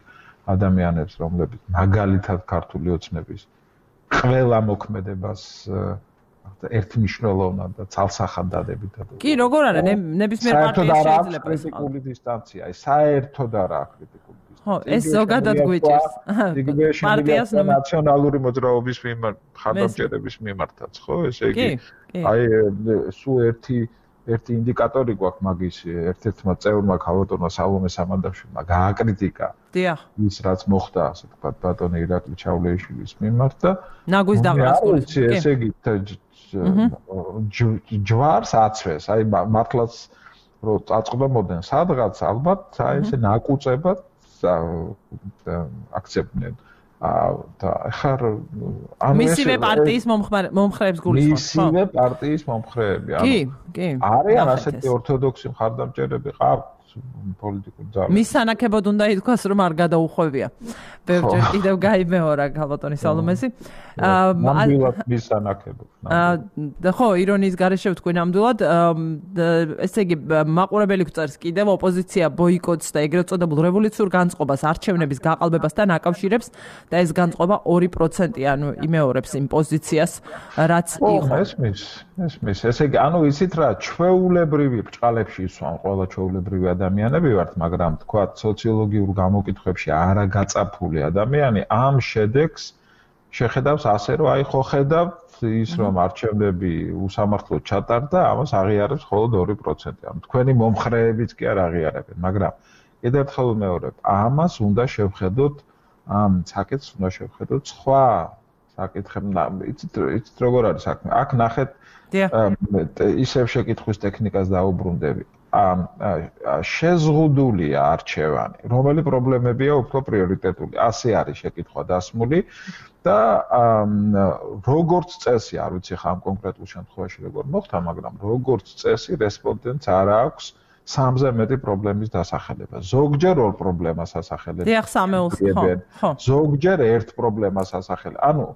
ადამიანებს, რომლებიც მაგალითად ქართული ოცნების ყველა მოქმედებას ერთმნიშვნელოვნად და ცალსახად დადებითად. კი, როგორ არა, ნებისმიერ პარტიას შეიძლება კრიტიკული დისტანცია, აი საერთოდ არა კრიტიკული დისტანცია. ხო, ეს ზოგადად გვიჭირს. პარტიას ნაციონალური მოძრაობის მხარდამჭერების მიმართაც, ხო, ესე იგი აი სულ ერთი ინდიკატორი გვაქვს მაგის ერთ-ერთმა წევრმა ქალბატონმა სალომე სამანდაშვილმა გააკრიტიკა. დიახ. ის რაც მოხდა, ასე ვთქვათ, ბატონი ირაკლი ჩავლეიშვილის მიმართ და ნაგვის დაყრასკულის. ესე იგი ჯვარს აცვეს, აი მართლაც რომ წაწყდებოდნენ სადღაც ალბათ აი ესე ნაკუწებად აქცევდნენ და ახლა ანუ მისივე პარტიის მომხრეებს გულისხმობ, ხო? მისივე პარტიის მომხრეები, ანუ კი. არიან ასეთი ორთოდოქსი მხარდამჭერები ყავთ პოლიტიკურ ძალას. მის სანაკებოდ უნდა ითქვას, რომ არ გადაუხვევია. ბევრჯერ კიდევ გაიმეორა ქალბატონი სალომესი. ნამდვილად მის სანაკებოდ. ხო, ირონიის გარეშე ვთქვი ნამდვილად. ესე იგი, მაყურებელი გვწერს კიდევ ოპოზიცია ბოიკოტს და ეგრეთ წოდებულ რევოლუციურ განწყობას, არჩევნების გაყალბებასთან აკავშირებს და ეს განწყობა 2%, ანუ იმეორებს იმ პოზიციას, რაც იყო. ესმის. ესე იგი, ანუ იცით რა, ჩვეულებრივი ბრჭყალებში ისვან ყველა ჩვეულებრივი ადამიანები ვართ, მაგრამ თქვათ სოციოლოგიურ გამოკითხვებში არაგაწაფული ადამიანი ამ შედეგს შეხედავს ასე, რომ აი ხო ხედავთ ის რომ არჩევნები უსამართლოდ ჩატარდა, ამას აღიარებს მხოლოდ 2%. ანუ თქვენი მომხრეებიც კი არ აღიარებენ, მაგრამ კიდევ ერთხელ ვიმეორებ, ამას უნდა შევხედოთ, ამ საკითხს უნდა შევხედოთ სხვა საკითხებთან. იცით როგორ არის საქმე? აქ ნახეთ ისევ შეკითხვის ტექნიკას დაუბრუნდები. შეზღუდულია არჩევანი, რომელი პრობლემებია უფრო პრიორიტეტული. ასე არის შეკითხვა დასმული და როგორც წესი, არ ვიცი ხა ამ კონკრეტულ შემთხვევაში როგორ მოხდა, მაგრამ როგორც წესი რესპონდენტს არ აქვს 3-ზე მეტი პრობლემის დასახელება. ზოგჯერ ორ პრობლემას ასახელებენ. დიახ, 3-ს, ხო. ზოგჯერ ერთ პრობლემას ასახელებენ. ანუ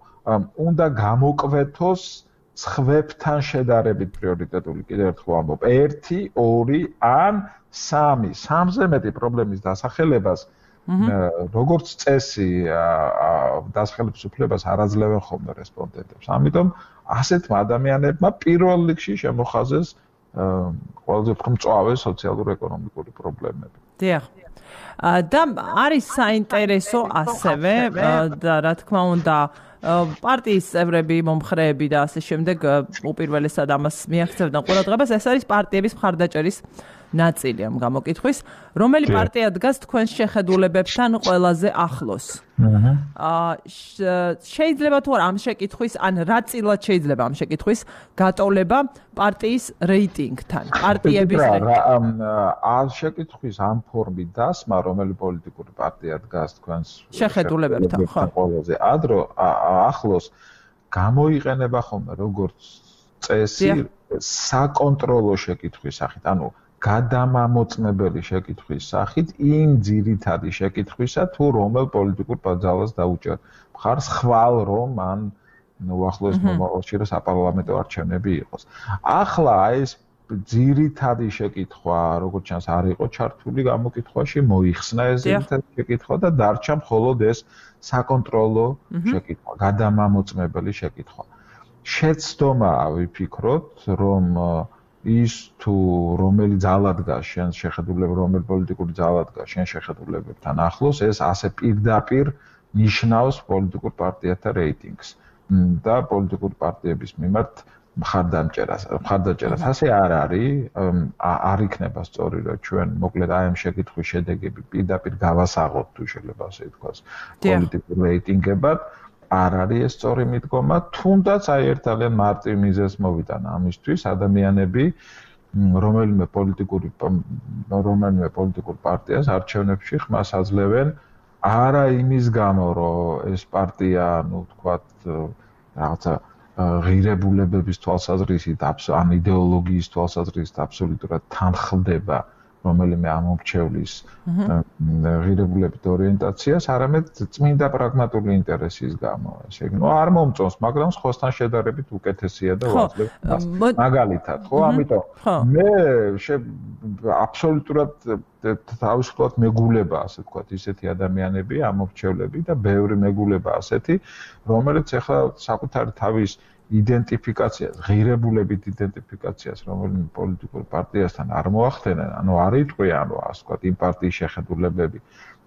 უნდა გამოკვეთოს სხვებთან შედარებით პრიორიტეტული, კიდევ ერთხელ ვამბობ, 1, 2 ან 3. 3-ზე მეტი პრობლემის დასახელებას როგორც წესი დასახელების უფლებას არ აძლევენ ხოლმე რესპონდენტებს. ამიტომ ასეთმა ადამიანებმა პირველ რიგში შემოხაზეს ყველაზე უფრო მწვავე სოციალურ-ეკონომიკური პრობლემები. დიახ. და არის საინტერესო ასევე და რა თქმა უნდა პარტიის წევრები, მომხრეები და ასე შემდეგ უპირველესად ამას მიაქცევდნენ ყურადღებას, ეს არის პარტიების მხარდაჭერის ნაწილი ამ გამოკითხვის, რომელი პარტია დგას თქვენს შეხედულებებთან ყველაზე ახლოს. შეიძლება თუ არა ამ შეკითხვის, ან რაწილად შეიძლება ამ შეკითხვის გატოლება პარტიის რეიტინგთან, პარტიების ამ შეკითხვის ამ ფორმით დასმა, რომელი პოლიტიკური პარტია დგას თქვენს შეხედულებებთან, ხო? ყველაზე ახლოს გამოიყენება ხოლმე როგორც წესი საკონტროლო შეკითხვის სახით, ანუ გადამამოწმებელი შეკითხვის სახით იმ ძირითადი შეკითხვისა თუ რომელ პოლიტიკურ ძალას დაუჭერ მხარს ხვალ რომ ან უახლოეს მომავალში რომ საპარლამენტო არჩევნები იყოს. ახლა ეს ძირითადი შეკითხვა, როგორც ჩანს, არ იყო ჩართული გამოკითხვაში, მოიხსნა ეს ძირითადი შეკითხვა და დარჩა მხოლოდ ეს საკონტროლო შეკითხვა, გადამამოწმებელი შეკითხვა. შეცდომაა ვიფიქროთ, რომ ის თუ რომელი ძალა დგას შენ შეხედულებ რომელი პოლიტიკური ძალა დგას შენ შეხედულებებთან ახლოს, ეს ასე პირდაპირ ნიშნავს პოლიტიკურ პარტიათა რეიტინგს და პოლიტიკური პარტიების მიმართ მხარდაჭერას. ასე არ არის, არ იქნება სწორი, რომ ჩვენ მოკლედ აი ამ შეკითხვის შედეგები პირდაპირ გავასაღოთ, თუ შეიძლება ასე ითქვას, პოლიტიკურ რეიტინგებად. არ არის ეს სწორი მიდგომა, თუნდაც აი ერთ ძალიან მარტივ მიზეზს მოვიტანა ამისთვის ადამიანები რომელიმე პოლიტიკურ პარტიას არჩევნებში ხმას აძლევენ არა იმის გამო, რომ ეს პარტია, თქვათ, რაღაცა ღირებულებების თვალსაზრისით, ან იდეოლოგიის თვალსაზრისით აბსოლუტურად თანხმდება რომელიმე ამომრჩევლის ღირებულებით ორიენტაციას, არამედ წმინდა პრაგმატული ინტერესის გამო. ესე იგი, არ მომწონს, მაგრამ სხვასთან შედარებით უკეთესია და ვაძლევ მაგალითად, ხო? ამიტომ მე აბსოლუტურად თავისუფლად მეგულება, ასე ვთქვათ, ისეთი ადამიანები, ამომრჩევლები და ბევრი მეგულება ასეთი, რომელიც ახლა საკუთარი თავის იდენტიფიკაციას, ღირებულებით იდენტიფიკაციას რომელიმე პოლიტიკურ პარტიასთან არ მოახდენენ, ანუ არ იტყვიან, რომ ასე ვთქვათ, იმ პარტიის შეხედულებები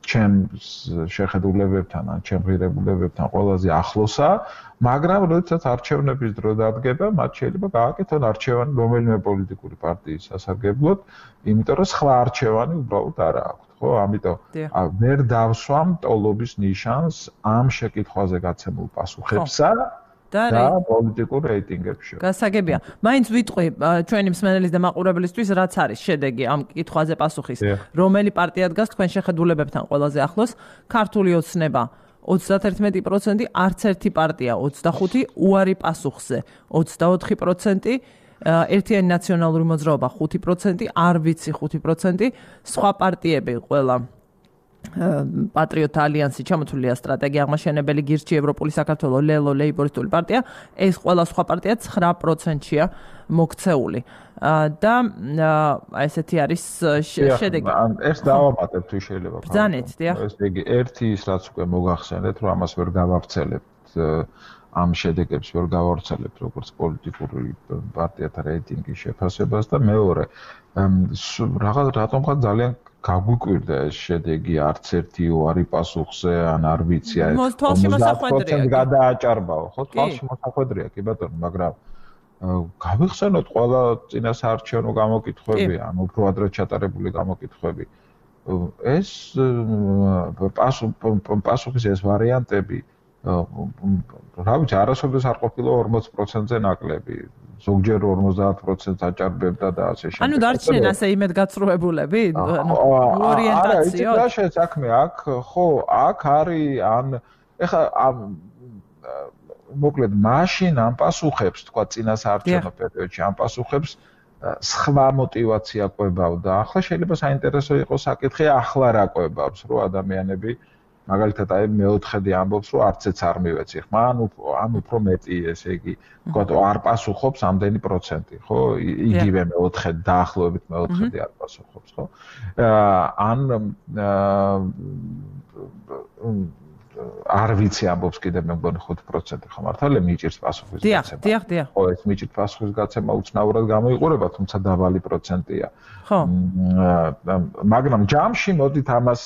ჩემს შეხედულებებთან ან ჩემ ღირებულებებთან ყველაზე ახლოსაა, მაგრამ როდესაც არჩევნების დრო დადგება, მათ შეიძლება გააკეთონ არჩევანი რომელიმე პოლიტიკური პარტიის სასარგებლოდ, იმიტომ რომ სხვა არჩევანი უბრალოდ არ აქვს, ხო? ამიტომ ვერ დავსვამ ტოლობის ნიშანს ამ შეკითხვაზე გაცემულ პასუხებსა და პოლიტიკურ რეიტინგებში. გასაგებია. მაინც ვიტყვი ჩვენი მსმენელის და მაყურებლისთვის, რაც არის შედეგი ამ კითხვაზე პასუხის, რომელი პარტია დგას თქვენ შეხედულებებთან ყველაზე ახლოს? ქართული ოცნება 31%, არც ერთი პარტია 25%, უარი პასუხზე 24%, ერთიანი ნაციონალური მოძრაობა 5%, არ ვიცი 5%, სხვა პარტიები ყველა პატრიოტთა ალიანსი ჩამოთვლილია სტრატეგია აღმაშენებელი გირჩი ევროპული საქართველო ლელო ლეიბორისტული პარტია ეს ყველა სხვა პარტია 9%-ია მოქცეული და ესეთი არის შედეგი. ეს დავამატებ თუ შეიძლება. ბრძანეთ, დიახ. ესე იგი ერთი ის რაც უკვე მოგახსენეთ, რომ ამას ვერ გავავრცელებთ ამ შედეგებს ვერ გავავრცელებთ როგორც პოლიტიკური პარტიათა რეიტინგის შეფასებას და მეორე რატომღაც ძალიან გაგვიკვირდა ეს შედეგი არც ერთი უარი პასუხზე ან არ ვიცი აი 50% გადააჭარბაო ხო თვალში მოსახვედრია კი ბატონო მაგრამ გავიხსენოთ ყველა წინასაარჩევნო გამოკითხვები ან უფრო ადრე ჩატარებული გამოკითხვები ეს პასუხის ეს ვარიანტები რა ვიცი არასოდეს არ ყოფილა 40%-ზე ნაკლები ზოგჯერ 50%-ს აჭარბებდა და ასე შემდეგ. ანუ დარჩნენ ასე იმედგაცრუებულები? ანუ ორიენტაციო. არა, იცი რა საქმე აქ, ხო, აქ არის ან ეხა მოკლედ მაშინ ამ პასუხებს, თქვა წინასაარჩევნო პერიოდში ამ პასუხებს სხვა мотиваცია ყვებავდა. ახლა შეიძლება საინტერესო იყოს საკითხი, ახლა რა ყვებავს, რომ ადამიანები მაგალითად აი მეოთხედი ამბობს რომ არცეც არ მივეცი ხმა ან უფრო მეტი ესე იგი თქვა არ პასუხობს ამდენი პროცენტი ხო იგივე მეოთხედი დაახლოებით მეოთხედი არ პასუხობს ხო ან არ ვიცი ამბობს კიდე მე მგონი 5% ხო მართალია მიჭირს პასუხის გაცემა დიახ ხო ეს მიჭირს პასუხის გაცემა უცნაურად გამოიყურება თუმცა დაბალი პროცენტია ხო მაგრამ ჯამში მოდით ამას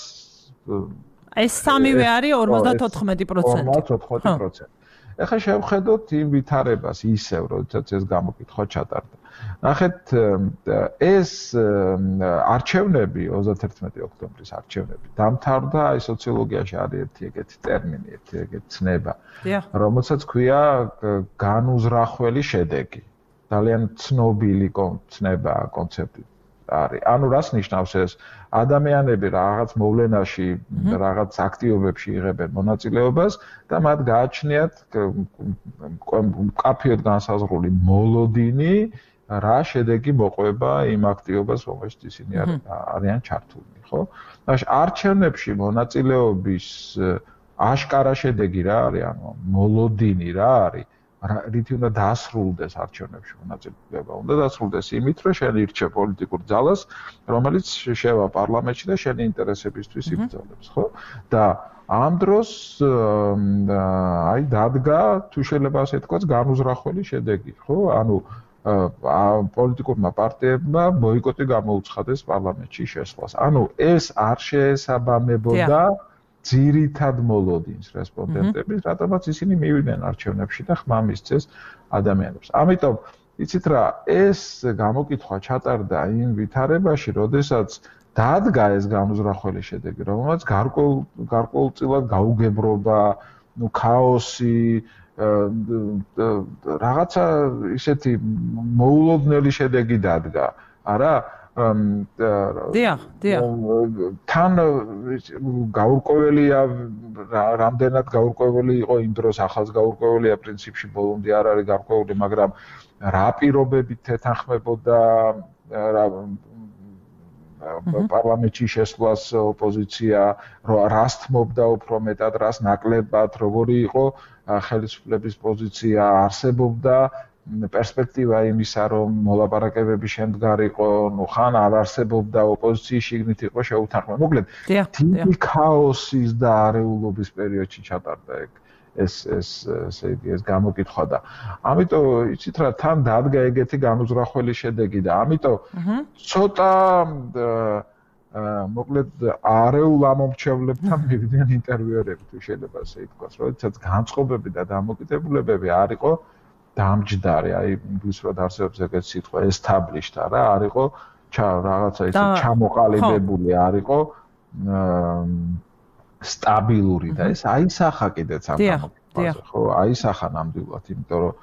ეს სამივე არის 54%. 54%. ეხლა შევხედოთ იმ ვითარებას ისევ, როდესაც ეს გამოკითხვა ჩატარდა. ნახეთ, ეს არჩევნები 31 ოქტომბრის არჩევნები დამთავრდა, აი სოციოლოგიაში არის ერთი ეგეთი ტერმინი, ერთი ეგეთი ცნება, რომელსაც ქვია განუზრახველი შედეგი. ძალიან ცნობილი ცნება კონცეფტი. არის. ანუ რას ნიშნავს ეს? ადამიანები რაღაც მოვლენაში, რაღაც აქტივობებში იღებენ მონაწილეობას და მათ გააჩნიათ მკაფიოდ განსაზღვრული მოლოდინი, რა შედეგი მოყვება იმ აქტივობას, რომელშიც ისინი არიან ჩართულნი, ხო? არჩევნებში მონაწილეობის აშკარა შედეგი რა არის? ანუ მოლოდინი რა არის? რითი უნდა დასრულდეს არჩევნებში მონაწილეობა. უნდა დასრულდეს იმით, რომ შენ ირჩევ პოლიტიკურ ძალას, რომელიც შევა პარლამენტში და შენი ინტერესებისთვის იბრძოლებს, ხო? და ამ დროს აი დადგა, თუ შეიძლება ასე თქვა, განუზრახველი შედეგი, ხო? ანუ პოლიტიკურმა პარტიებმა ბოიკოტი გამოუცხადეს პარლამენტში შესვლას. ანუ ეს არ შეესაბამებოდა ძირითად მოლოდინს რესპონდენტების, რატომაც ისინი მივიდნენ არჩევნებში და ხმა მისცეს ადამიანებს. ამიტომ იცით რა, ეს გამოკითხვა ჩატარდა იმ ვითარებაში, როდესაც დადგა ეს განუზრახველი შედეგი, რომელმაც გარკვეულწილად გაუგებრობა ქაოსი რაღაცა ისეთი მოულოდნელი შედეგი დადგა არა დიახ თან გაურკვეველია რამდენად გაურკვეველი იყო იმ დროს ახალს გაურკვეველია პრინციპში ბოლომდე არ არის გარკვეული მაგრამ რა პირობებით თეთანხმებოდა პარლამენტში შესვლას ოპოზიცია რას თმობდა უფრო მეტად რას ნაკლებად როგორი იყო ხელისუფლების პოზიცია არსებობდა პერსპექტივა იმისა რომ მოლაპარაკებები შემდგარიყო ნუ ხან არ არსებობდა ოპოზიციის შიგნით იყო შეუთანხმება მოკლედ დიდი ქაოსის და არეულობის პერიოდში ჩატარდა ეს გამოკითხვა და ამიტომ იცით რა თან დადგა ეგეთი განუზრახველი შედეგი და ამიტომ ცოტა მოკლედ არეულ ამომრჩევლებთან მივიდნენ ინტერვიუერები თუ შეიძლება ასე ითქვას როდესაც განწყობები და დამოკიდებულებები არ იყო დამჯდარი აი ინგლისურად არსებობს ეგეთი სიტყვა established არა არ იყო რაღაცა ისე ჩამოყალიბებული არ იყო სტაბილური და ეს აისახა კიდეც ამ გამოკითხვაზე ხო აისახა ნამდვილად იმიტომ რომ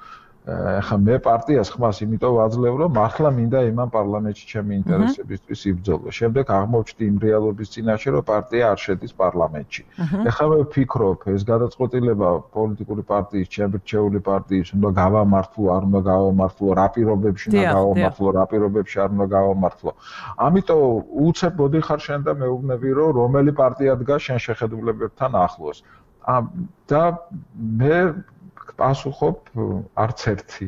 ახლა მე პარტიას ხმას იმიტომ ვაძლევ რომ მართლა მინდა იმან პარლამენტში ჩემი ინტერესებისთვის იბრძოლო შემდეგ აღმოჩნდი იმ რეალობის წინაშე რომ პარტია არ შედის პარლამენტში ახლა მე ვფიქრობ ეს გადაწყვეტილება პოლიტიკური პარტიის ჩემბრჩეული პარტიის უნდა გავამართლო არ უნდა გავამართლო რა პირობებში უნდა გავამართლო რა პირობებში არ უნდა გავამართლო ამიტომ უცებ მოდიხარ შენ და მეუბნები რომ რომელი პარტია დგას შენ შეხედულებებთან ახლოს და მე პასუხობ არც ერთი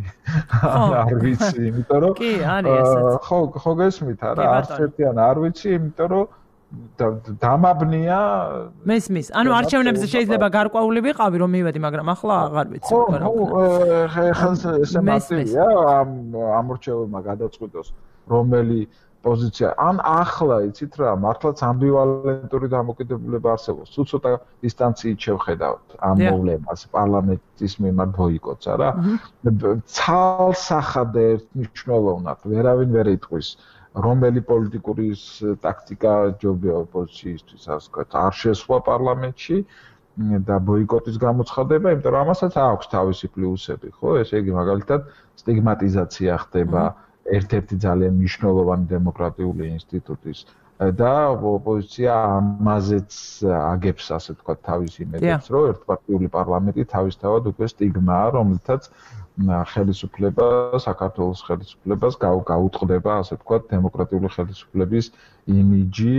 არ ვიცი იმიტომ რომ კი არის ესეც ხო გესმით არა არც ერთი არ ვიცი იმიტომ რომ დამაბნია მესმის ანუ არჩევნებზე შეიძლება გარკვეული ვიყავი რომ მივედი მაგრამ ახლა აღარ ვიცი ხო ესე მასივია ამ რჩევებმა გადაწყვიტოს რომელი პოზიცია ან ახლა იცით რა მართლაც ამბივალენტური დამოკიდებულება არსებობს თუ ცოტა დისტანციით შევხედავთ ამ მოვლენას პარლამენტის მიმართ ბოიკოტს არა ცალსახად ერთნიშნულოვნად ვერავინ ვერ იტყვის რომელი პოლიტიკური ტაქტიკა ჯობია ოპოზიციისთვის ასე ვთქვათ არ შესვლა პარლამენტში და ბოიკოტის გამოცხადება იმიტომ რომ ამასაც აქვს თავისი პლუსები ხო ესე იგი მაგალითად სტიგმატიზაცია ხდება ერთ-ერთი ძალიან მნიშვნელოვანი დემოკრატიული ინსტიტუტის და ოპოზიცია ამაზეც აგებს ასე ვთქვათ თავის იმედებს რომ ერთპარტიული პარლამენტი თავისთავად უკვე სტიგმაა რომელთაც ხელისუფლება საქართველოს ხელისუფლებას გაუტყდება ასე ვთქვათ დემოკრატიული ხელისუფლების იმიჯი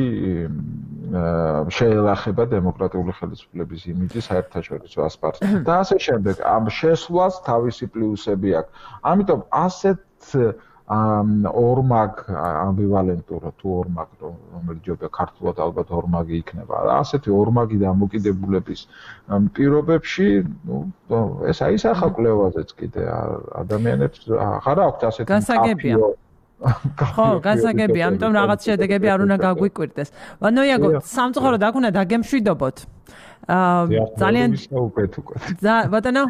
შეელახება დემოკრატიული ხელისუფლების იმიჯი საერთაშორისო ასპარეზზე და ასე შემდეგ ამ შესვლას თავისი პლუსები აქვს ამიტომ ასეთ ორმაგ ამბივალენტურა თუ ორმაგ რომელიც ჯობია ქართულად ალბათ ორმაგი იქნება ასეთი ორმაგი დამოკიდებულების პირობებში ნუ ეს აისახა კვლევაზეც კიდე ადამიანებს აღარ აქვს ასეთი გასაგებია ხო გასაგებია ამიტომ რაღაც შედეგები არ უნდა გაგვიკვირდეს ვანოიაგო სამწუხაროდ აქ უნდა დაგემშვიდობოთ ძალიან ბატონო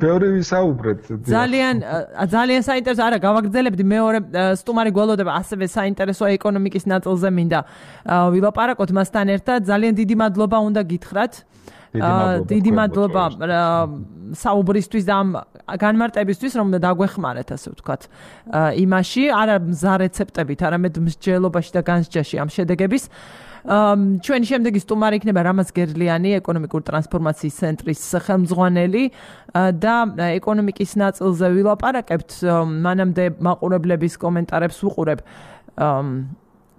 ბევრი ვისაუბრეთ ძალიან საინტერესო არა გავაგრძელებდი მეორე სტუმარი გველოდება ასევე საინტერესო ეკონომიკის ნაწილზე მინდა ვილაპარაკოთ მასთან ერთად ძალიან დიდი მადლობა უნდა გითხრათ დიდი მადლობა საუბრისთვის და ამ განმარტებისთვის რომ დაგვეხმარეთ ასე ვთქვათ იმაში არა მზა რეცეპტებით არამედ მსჯელობაში და განსჯაში ამ შედეგების ჩვენი შემდეგი სტუმარი იქნება რამაზ გერლიანი ეკონომიკური ტრანსფორმაციის ცენტრის ხელმძღვანელი და ეკონომიკის ნაწილზე ვილაპარაკებთ მანამდე მაყურებლების კომენტარებს ვუყურებ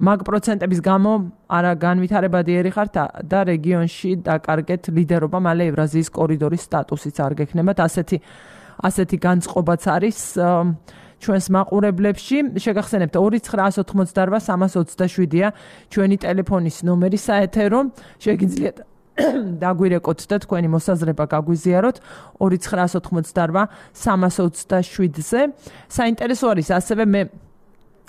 მაგ პროცენტების გამო არა განვითარებადი ერიხართ და რეგიონში დაკარგეთ ლიდერობა მალე ევრაზიის კორიდორის სტატუსიც არ გექნებათ ასეთი განწყობაც არის ჩვენს მაყურებლებში შეგახსენებთ 2988327-ია ჩვენი ტელეფონის ნომერი საეთერო შეგიძლიათ დაგვირეკოთ და თქვენი მოსაზრება გაგვიზიაროთ 2988327-ზე საინტერესო არის ასევე მე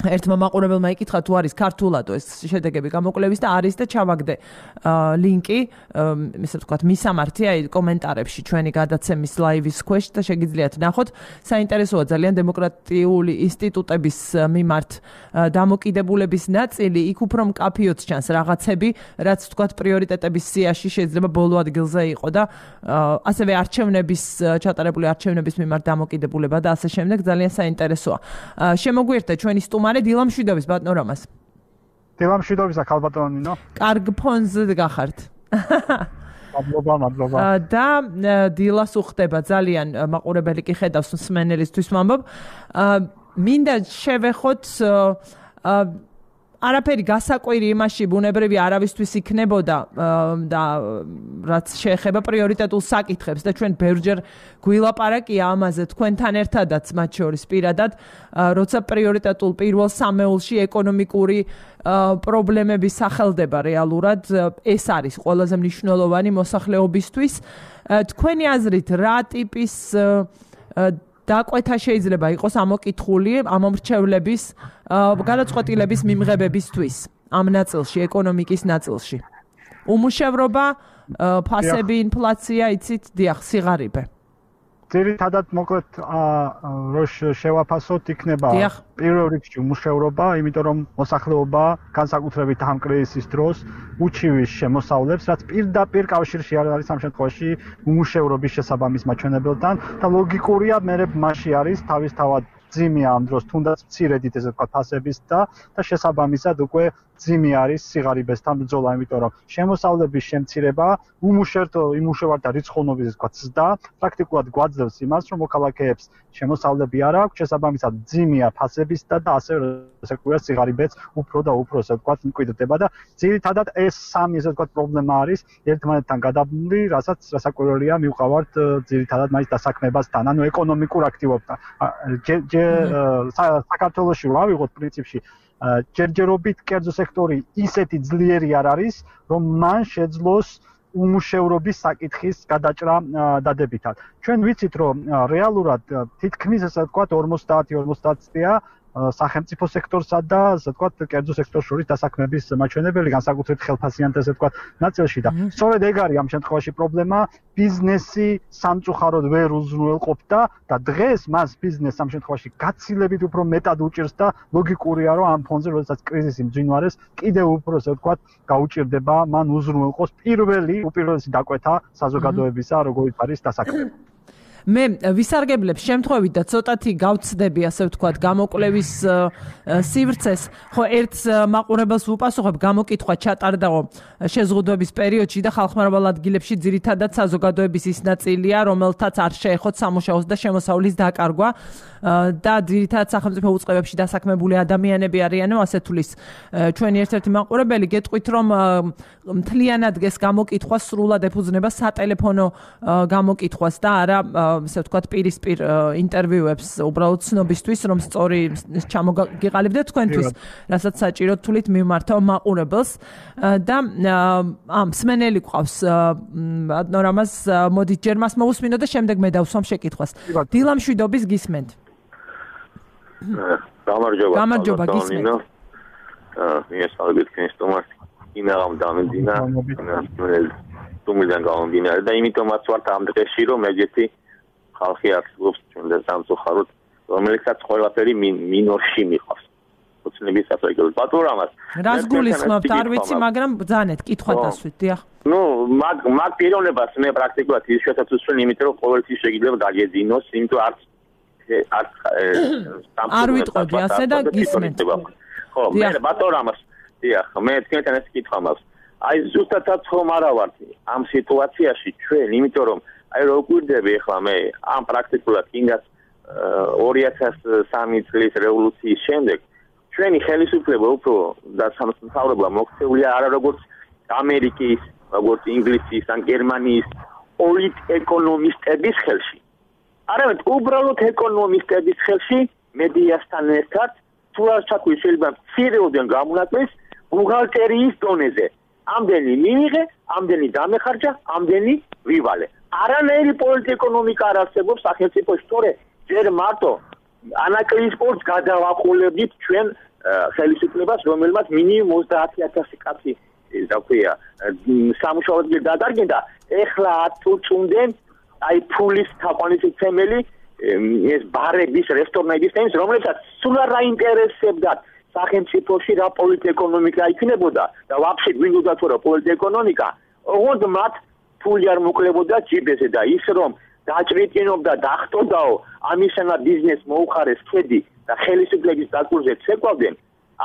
ერთმა მაყურებელმა იკითხა თუ არის ქართულადო ეს შედეგები გამოკვლევის და არის და ჩავაგდე ლინკი ისე ვთქვათ მისამართი აი კომენტარებში ჩვენი გადაცემის ლაივის ქვეშ და შეგიძლიათ ნახოთ საინტერესოა ძალიან დემოკრატიული ინსტიტუტების მიმართ დამოკიდებულების ნაწილი იქ უფრო მკაფიოდ ჩანს რაღაცები რაც ვთქვათ პრიორიტეტების სიაში შეიძლება ბოლო ადგილზე იყო და ასევე არჩევნების ჩატარებული არჩევნების მიმართ დამოკიდებულება და ასე შემდეგ ძალიან საინტერესოა შემოგვიერთდა ჩვენი სტუმარი დილა მშვიდობის ბატონო რამას. დილა მშვიდობისა ქალბატონო ნინო. კარგ ფონზე გახართ. მადლობა. და დილას უხდება ძალიან მაყურებელი კი ხედავს მსმენელისთვის ვამბობ. მინდა შევეხოთ არაფერი გასაკვირი იმაში ბუნებრივი არავისთვის იქნებოდა და რაც შეეხება პრიორიტეტულ საკითხებს და ჩვენ ბევრჯერ გვილაპარაკია ამაზე თქვენთან ერთადაც მათ შორის პირადად როცა პრიორიტეტულ პირველ სამეულში ეკონომიკური პრობლემები სახელდება რეალურად ეს არის ყველაზე მნიშვნელოვანი მოსახლეობისთვის თქვენი აზრით რა ტიპის დაკვეთა შეიძლება იყოს ამოკითხული ამომრჩევლების გადაწყვეტილების მიმღებებისთვის ამ ნაწილში ეკონომიკის ნაწილში უმუშევრობა ფასები ინფლაცია იცით დიახ სიღარიბე ძირითადად მოკლედ რო შევაფასოთ იქნება პირველ რიგში უმუშევრობა იმიტომ რომ მოსახლეობა განსაკუთრებით ამ კრიზისის დროს უჩივის შემოსავლებს რაც პირდაპირ კავშირში არის ამ შემთხვევაში უმუშევრობის შესაბამის მაჩვენებელთან და ლოგიკურია მე მასში არის თავისთავად ძიმი ამ დროს თუნდაც მცირედით ესე ვთქვათ ფასების და შესაბამისად უკვე ძიმი არის სიღარიბესთან ბრძოლა იმიტომ რომ შემოსავლების შემცირება უმუშევართა რიცხოვნობის ესე ვთქვათ ზრდა პრაქტიკულად გვაძლევს იმას რომ მოქალაქეებს შემოსავლები არ აქვს შესაბამისად ძიმია ფასებისა და ასევე ესე ვთქვათ სიღარიბეც უფრო და უფრო ესე ვთქვათ მკვიდრდება და ძირითადად ეს სამი ესე ვთქვათ პრობლემა არის ერთმანეთთან გადაბმული რასაც რასაკვირველია მივყავართ ძირითადად მაგის დასაქმებასთან ანუ ეკონომიკურ აქტივობთან საქართველოში რა ვიღოთ პრინციპში ჯერჯერობით კერძო სექტორი ისეთი ძლიერი არ არის რომ მან შეძლოს უმუშევრობის საკითხის გადაჭრა დადებითად ჩვენ ვიცით რომ რეალურად თითქმის ესე ვთქვათ 50 წლია სახელმწიფო სექტორსა და ასე ვთქვათ კერძო სექტორს შორის დასაქმების მაჩვენებელი განსაკუთრებით ხელფასიანთა ასე ვთქვათ ნაწილში და სწორედ ეგ არის ამ შემთხვევაში პრობლემა ბიზნესი სამწუხაროდ ვერ უზრუნველყოფდა და დღეს მას ბიზნესს ამ შემთხვევაში გაცილებით უფრო მეტად უჭირს და ლოგიკურია რომ ამ ფონზე როდესაც კრიზისი მძვინვარეს კიდევ უფრო ასე ვთქვათ გაუჭირდება მან უზრუნველყოს უპირველესი დაკვეთა საზოგადოებისა როგორიც არის დასაქმება მე ვისარგებლებს შემთხვევით და ცოტათი გავცდები ასე ვთქვათ გამოკვლევის სივრცეს ხო ერთ მაყურებელს ვუპასუხებ გამოკითხვა ჩატარდაო შეზღუდვების პერიოდში და ხალხმრავალ ადგილებში ძირითადად საზოგადოების ის ნაწილია რომელთაც არ შეეხოთ სამუშაოს და შემოსავლის დაკარგვა და ძირითადად სახელმწიფო უწყებებში დასაქმებული ადამიანები არიანო ასე თulis ჩვენი ერთ-ერთი მაყურებელი გეტყვით რომ მთლიანად ეს გამოკითხვა სრულად ეფუძნება სატელეფონო გამოკითხვას და არა ასე ვთქვათ პირისპირ ინტერვიუებს უბრალოდ ცნობისთვის რომ სწორი ჩამოგიყალიბდეთ თქვენთვის რასაც საჭიროდ თulit მიმართავ მაყურებელს და მსმენელი ყავს ნორმას მოდი ჯერ მას მოусმინო და შემდეგ მე დავსვამ შეკითხვას დილა მშვიდობის გისმენთ გამარჯობა გისმენთ მიესალმებით თქვენს სტუმარს ინაღამ დამინდინა თუმიდან გამომდინარე და იმიტომაც ვართ ამ დღეში რომ ეგეთი ხალხი აქტივობს ჩვენ და სამწუხაროდ რომელიცაც ყველაფერი მინორში მიყავს უცნების საფრანგეთს ბატონამას რას გულისხმობთ არ ვიცი მაგრამ ბძანეთ კითხვა დასვით დიახ ნუ მაგ პიროვნებას მე პრაქტიკულად ის შეთაცვისვენ იმიტომ რომ ყოველთვის შეიძლება დაგეძინოს იმიტომ არ ვიტყოდი ასე და გისმენთ ხო მე ბატონამას დიახ მე თქვენთან ეს კითხვა მაქვს აი ზუსტადაც ხომ არა ვართ ამ სიტუაციაში ჩვენ იმიტომ რომ აი რო გვირდები ახლა მე ამ პრაქტიკულად ინგას 2003 წლის რევოლუციის შემდეგ ჩვენი ხელისუფლება უფრო და სამთავრობო მოქცეულია არა როგორც ამერიკის, როგორც ინგლისის ან გერმანიის პოლიტ-ეკონომისტების ხელში. არამედ უბრალოდ ეკონომისტების ხელში მედიასთან ერთად თუ არ ჩაქვი შეიძლება მცირეოდენ გამონაკლისს ბუღალტერიის დონეზე. ამდენი მიიღე, ამდენი დამეხარჯა, ამდენი ვივალე. არანაირი პოლიტ-ეკონომიკა არ არსებობს სახელმწიფოში, თორე ჯერ მარტო ანაკლიის სპორტს გადავაყოლებდით ჩვენ ხელისუფლებას, რომელმაც მინიმუმ 30,000 კაცი დაქვია სამუშაოდ გადადგა. ეხლა თუ წუნდნენ აი ფულის თაყვანისმცემელი თემელი ეს ბარების, რესტორნების თემის, რომლებსაც სულ არ აინტერესებდათ სახელმწიფოში რა პოლიტეკონომიკა იქნებოდა და ვაფშე გვინდოდა თუ რა პოლიტეკონომიკა, ოღონდ მათ ფული არ მოკლებოდა ჯიბეზე და ის რომ დაჭრიტინობდა დახტოდაო ამისანა ბიზნეს მოუხარეს ხედი და ხელისუფლების დაკურზე ცეკვავდნენ,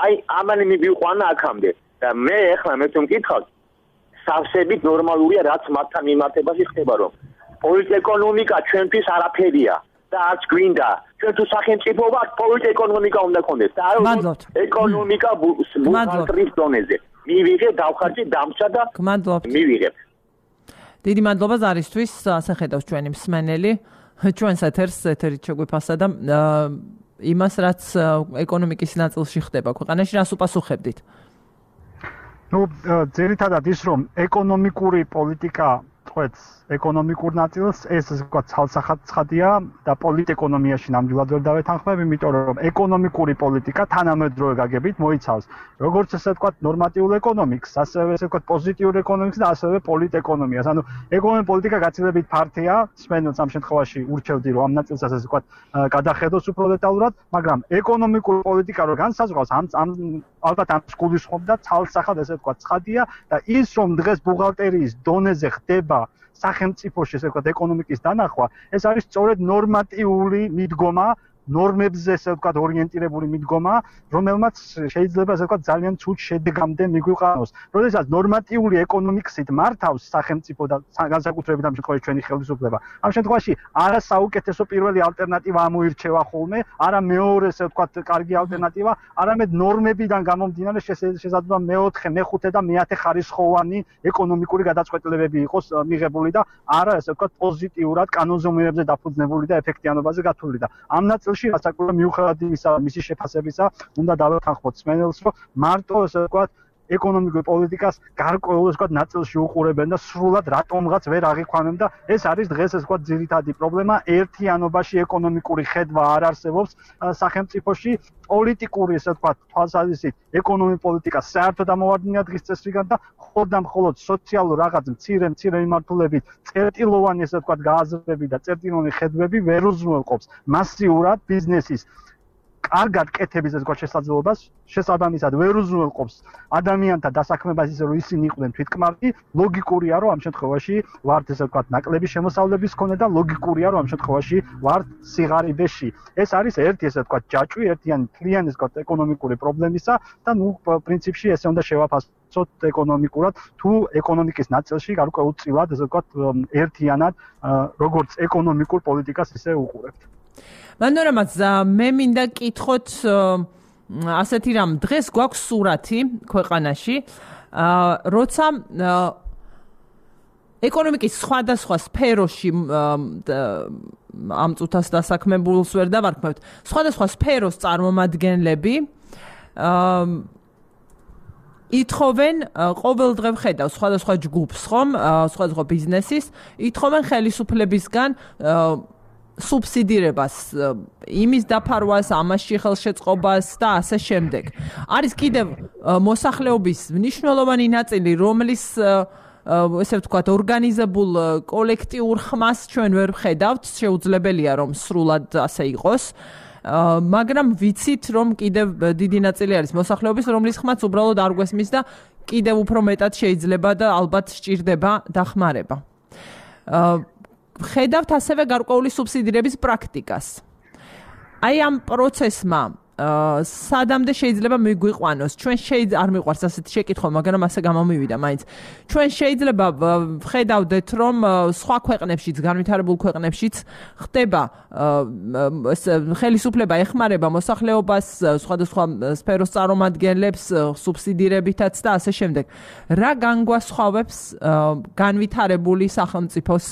აი ამანი მივიყვანა აქამდე და მე ეხლა მე თუ მკითხავთ სავსებით ნორმალურია რაც მათთან მიმართებაში ხდება რომ პოლიტეკონომიკა ჩვენთვის არაფერია და არც გვინდა ჩვენ თუ სახელმწიფო ვართ პოლიტეკონომიკა უნდა გქონდეს და არა ეკონომიკა ბუქალტრის დონეზე მივიღე დავხარჯე დამსა და მივიღებ დიდი მადლობა ზარისთვის ასე ხედავს ჩვენი მსმენელი ჩვენს ეთერით შეგვიფასა და იმას რაც ეკონომიკის ნაწილში ხდება ქვეყანაში რას უპასუხებდით ну ძირითადად ის რომ ეკონომიკური პოლიტიკა წვეთს ეკონომიკურ ნაწილს ეს ვთქვათ ცალსახად ცხადია და პოლიტეკონომიაში ნამდვილად ვერ დავეთანხმებ იმიტომ რომ ეკონომიკური პოლიტიკა თანამედროვე გაგებით მოიცავს როგორც ესე ვთქვათ ნორმატიულ ეკონომიკს ასევე ესე ვთქვათ პოზიტიურ ეკონომიკს და ასევე პოლიტეკონომიას ანუ ეკონომიკური პოლიტიკა გაცილებით ფართია სმენელს ამ შემთხვევაში ურჩევდი რომ ამ ნაწილსაც ესე ვთქვათ გადახედოს უფრო დეტალურად მაგრამ ეკონომიკური პოლიტიკა რო განსაზღვრავს ალბათ ამ გულისხმობდა ცალსახად ესე ვთქვათ ცხადია და ის რომ დღეს ბუღალტერიის დონეზე ხდება სახელმწიფოში ესე ვთქვათ ეკონომიკის დანახვა ეს არის სწორედ ნორმატიული მიდგომა ნორმებზე ესე ვთქვათ ორიენტირებული მიდგომა რომელმაც შეიძლება ესე ვთქვათ ძალიან ცუდ შედეგამდე მიგვიყანოს როდესაც ნორმატიული ეკონომიკით მართავს სახელმწიფო და განსაკუთრებით ამ შემთხვევაში ჩვენი ხელისუფლება ამ შემთხვევაში არა საუკეთესო პირველი ალტერნატივა ამოირჩევა ხოლმე არა მეორე ესე ვთქვათ კარგი ალტერნატივა არამედ ნორმებიდან გამომდინარე შესაძლოა მეოთხე მეხუთე და მეათე ხარისხოვანი ეკონომიკური გადაწყვეტილებები იყოს მიღებული და არა ესე ვთქვათ პოზიტიურად კანონზომიერებზე დაფუძნებული და ეფექტიანობაზე გათვლილი და ამ ნაწილში ასაკურა მიუხედავად იმისა, მისი შეფასებისა, უნდა დავეთანხმოთ სმენელს, რომ მარტო ესე ვთქვათ ეკონომიკური პოლიტიკას გარკვეულ ესე ვთქვათ ნაწილში უყურებენ და სრულად რატომღაც ვერ აღიქვამენ და ეს არის დღეს ესე ვთქვათ ძირითადი პრობლემა ერთიანობაში ეკონომიკური ხედვა არ არსებობს სახელმწიფოში პოლიტიკური ესე ვთქვათ თვალსაზრისით ეკონომიკური პოლიტიკა საერთოდ ამოვარდნია დღის წესრიგად და მხოლოდ სოციალურ რაღაც მცირე მიმართულებით წერტილოვანი ესე ვთქვათ გააზრები და წერტილოვანი ხედვები ვერ უზრუნველყოფს მასიურად ბიზნესის კარგად კეთების ეს გვაქვს შესაძლებლობას შესაბამისად ვერ უზრუნველყოფს ადამიანთა დასაქმებას ისე რომ ისინი იყვნენ თვითკმარგი ლოგიკურია რომ ამ შემთხვევაში ვართ ესე ვთქვათ ნაკლები შემოსავლების მქონე და ლოგიკურია რომ ამ შემთხვევაში ვართ სიღარიბეში ეს არის ერთი ესე ვთქვათ ჯაჭვი ერთიანი თლიანი ესე ვთქვათ ეკონომიკური პრობლემისა და ნუ პრინციპში ესე უნდა შევაფასოთ ეკონომიკურად თუ ეკონომიკის ნაწილში გარკვეულწილად ესე ვთქვათ ერთიანად როგორც ეკონომიკურ პოლიტიკას ისე უყურებთ მანორამაც მე მინდა კითხოთ ასეთი რამ დღეს გვაქვს სურათი ქვეყანაში როცა ეკონომიკის სხვადასხვა სფეროში ამ წუთას დასაქმებულს ვერ დავარქმევთ სხვადასხვა სფეროს წარმომადგენლები ითხოვენ ყოველდღე ვხედავ სხვადასხვა ჯგუფს ხომ სხვადასხვა ბიზნესის ითხოვენ ხელისუფლებისგან სუბსიდირებას იმის დაფარვას ამაში ხელშეწყობას და ასე შემდეგ არის კიდევ მოსახლეობის მნიშვნელოვანი ნაწილი რომლის ესე ვთქვათ ორგანიზებულ კოლექტიურ ხმას ჩვენ ვერ ვხედავთ შეუძლებელია რომ სრულად ასე იყოს მაგრამ ვიცით რომ კიდევ დიდი ნაწილი არის მოსახლეობის რომლის ხმაც უბრალოდ არ გვესმის და კიდევ უფრო მეტად შეიძლება და ალბათ სჭირდება დახმარება ხედავთ ასევე გარკვეული სუბსიდირების პრაქტიკას. აი ამ პროცესმა სადამდე შეიძლება მიგვიყვანოს. ჩვენ არ მიყვარს ასეთი შეკითხვა, მაგრამ ასე გამომივიდა მაინც. ჩვენ შეიძლება ვხედავდეთ, რომ სხვა ქვეყნებშიც, განვითარებულ ქვეყნებშიც ხდება ხელისუფლება ეხმარება მოსახლეობას, სხვადასხვა სფეროს წარმომადგენლებს სუბსიდირებითაც და ასე შემდეგ. რა განგვასხვავებს განვითარებული სახელმწიფოს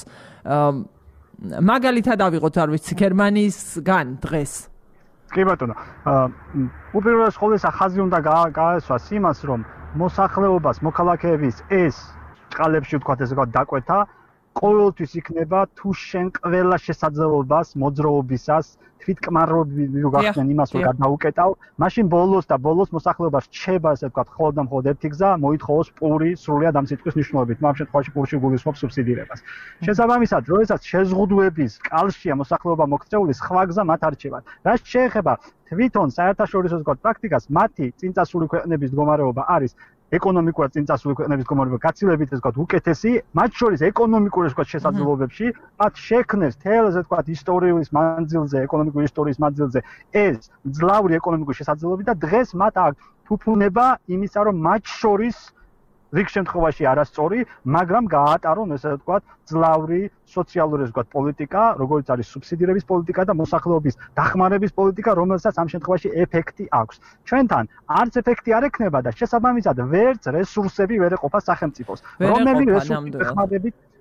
მაგალითად ავიღოთ არ ვიცი გერმანიისგან დღეს კი ბატონო უპირველეს ყოვლისა ხაზი უნდა გაესვას იმას რომ მოსახლეობას მოქალაქეების ეს ჭყალებში ვთქვათ ესე ვთქვათ დაკვეთა ყოველთვის იქნება თუ შენ ყველა შესაძლებლობას მოძრაობისას თვითკმარობი გახსენ იმას რომ გადაუკეტავ, მაშინ ბოლოს მოსახლეობა რჩება, ასე ვთქვათ, მხოლოდ და მხოლოდ ერთი გზა, მოითხოვოს პური სრულიად ამ სიტყვის მნიშვნელობით, ამ შემთხვევაში პურში გულისხმობს სუბსიდირებას. შესაბამისად, როდესაც შეზღუდვების კალშია მოსახლეობა მოქცეული, სხვა გზა მათ არჩევათ. რაც შეეხება თვითონ საერთაშორისო პრაქტიკას, მათი წინწასული ქვეყნების მდგომარეობა არის ეკონომიკურად წინწასული ქვეყნების მდგომარეობა გაცილებით ასე ვთქვათ უკეთესი, მათ შორის ეკონომიკური ასე ვთქვათ შესაძლებლობებში, მათ შექმნეს თელ ასე ვთქვათ ისტორიის მანძილზე, ეკონომიკური ისტორიის მანძილზე ეს ძლავრი ეკონომიკური შესაძლებლობები და დღეს მათ აქვს თუფუნება იმისა, რომ მათ შორის რიგ შემთხვევაში არასწორი, მაგრამ გაატარონ ესე ვთქვათ ძლავრი სოციალური ასე ვთქვათ პოლიტიკა, როგორც არის სუბსიდირების პოლიტიკა და მოსახლეობის დახმარების პოლიტიკა, რომელსაც ამ შემთხვევაში ეფექტი აქვს. ჩვენთან არც ეფექტი არ ექნება და შესაბამისად ვერც რესურსები ვერ ეყოფა სახელმწიფოს.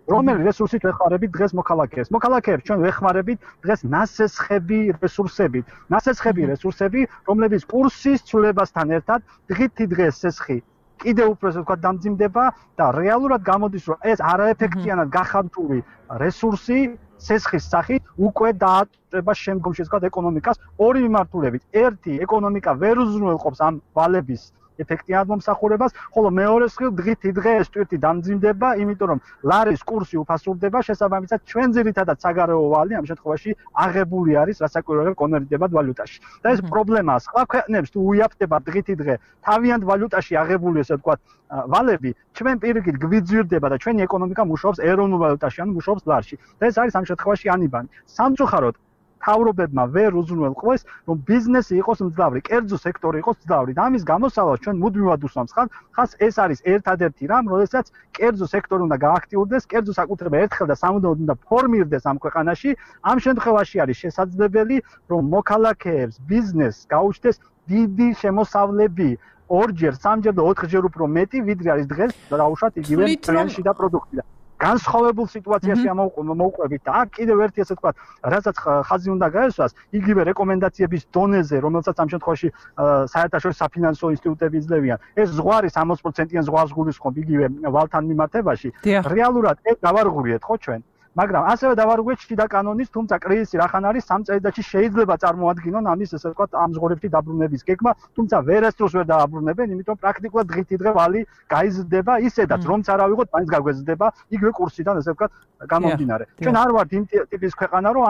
რომელი რესურსით ვეხმარებით დღეს მოქალაქეებს? მოქალაქეებს ჩვენ ვეხმარებით დღეს ნასესხები რესურსებით. ნასესხები რესურსები, რომლებიც კურსის ცვლილებასთან ერთად დღითი დღეს სესხი კიდევ უფრო ასე ვთქვათ დამძიმდება და რეალურად გამოდის რომ ეს არაეფექტიანად გახარჯული რესურსი სესხის სახით უკვე დააწება შემდგომში ასე ვთქვათ ეკონომიკას ორი მიმართულებით. ერთი, ეკონომიკა ვერ უზრუნველყოფს ამ ვალების ეფექტიანად მომსახურებას, ხოლო მეორე მხრივ დღითი დღეს ტვირთი დამძიმდება, იმიტომ რომ ლარის კურსი უფასურდება, შესაბამისად ჩვენ ძირითადად საგარეო ვალი ამ შემთხვევაში აღებული არის რასაკვირველად კონვერტირებად ვალუტაში. და ეს პრობლემაა. სხვა ქვეყნებს თუ უიაფდება დღითი დღე თავიანთ ვალუტაში აღებული ესე ვთქვათ ვალები, ჩვენ პირიქით გვიძვირდება და ჩვენი ეკონომიკა მუშაობს ეროვნულ ვალუტაში, ანუ მუშაობს ლარში. და ეს არის ამ შემთხვევაში ანიბანი. სამწუხაროდ თავრობებმა ვერ უზრუნველყვეს, რომ ბიზნესი იყოს მძლავრი, კერძო სექტორი იყოს მძლავრი. და ამის გამოსავალს ჩვენ მუდმივად უსვამს ხას ეს არის ერთადერთი რამ, როდესაც კერძო სექტორი უნდა გააქტიურდეს, კერძო საკუთრება ერთხელ და სამუდამოდ უნდა ფორმირდეს ამ ქვეყანაში. ამ შემთხვევაში არის შესაძლებელი, რომ მოქალაქეებს ბიზნესს გაუჩნდეს დიდი შემოსავლები, ორჯერ, სამჯერ და ოთხჯერ უფრო მეტი, ვიდრე არის დღეს დაუშვათ იგივე პრემიაში და პროდუქტიდან. განსხვავებულ სიტუაციაში მოვყვებით და აქ კიდევ ერთი ასე ვთქვათ, რასაც ხაზი უნდა გაესვას, იგივე რეკომენდაციების დონეზე, რომელსაც ამ შემთხვევაში საერთაშორისო საფინანსო ინსტიტუტები იძლევიან. ეს ზღვარი 60%-იან ზღვარს გულისხმობ იგივე ვალთან მიმართებაში. რეალურად ეს დავარღურიეთ ხო ჩვენ? მაგრამ ასევე დავარღვიეთ შიდა კანონის, თუმცა კრიზისი რახან არის 3 წელიწადში შეიძლება წარმოადგინონ ამის ესე ვთქვათ ამ ზღორებში დაბრუნების გეგმა, თუმცა ვერასდროს ვერ დააბრუნებენ, იმიტომ პრაქტიკულად დღითი დღე ვალი გაიზრდება ისედაც რომც არ ავიღოთ, მაინც გაგვეზრდება იგივე კურსიდან ესე ვთქვათ გამომდინარე. ჩვენ არ ვართ იმ ტიპის ქვეყანა, რომ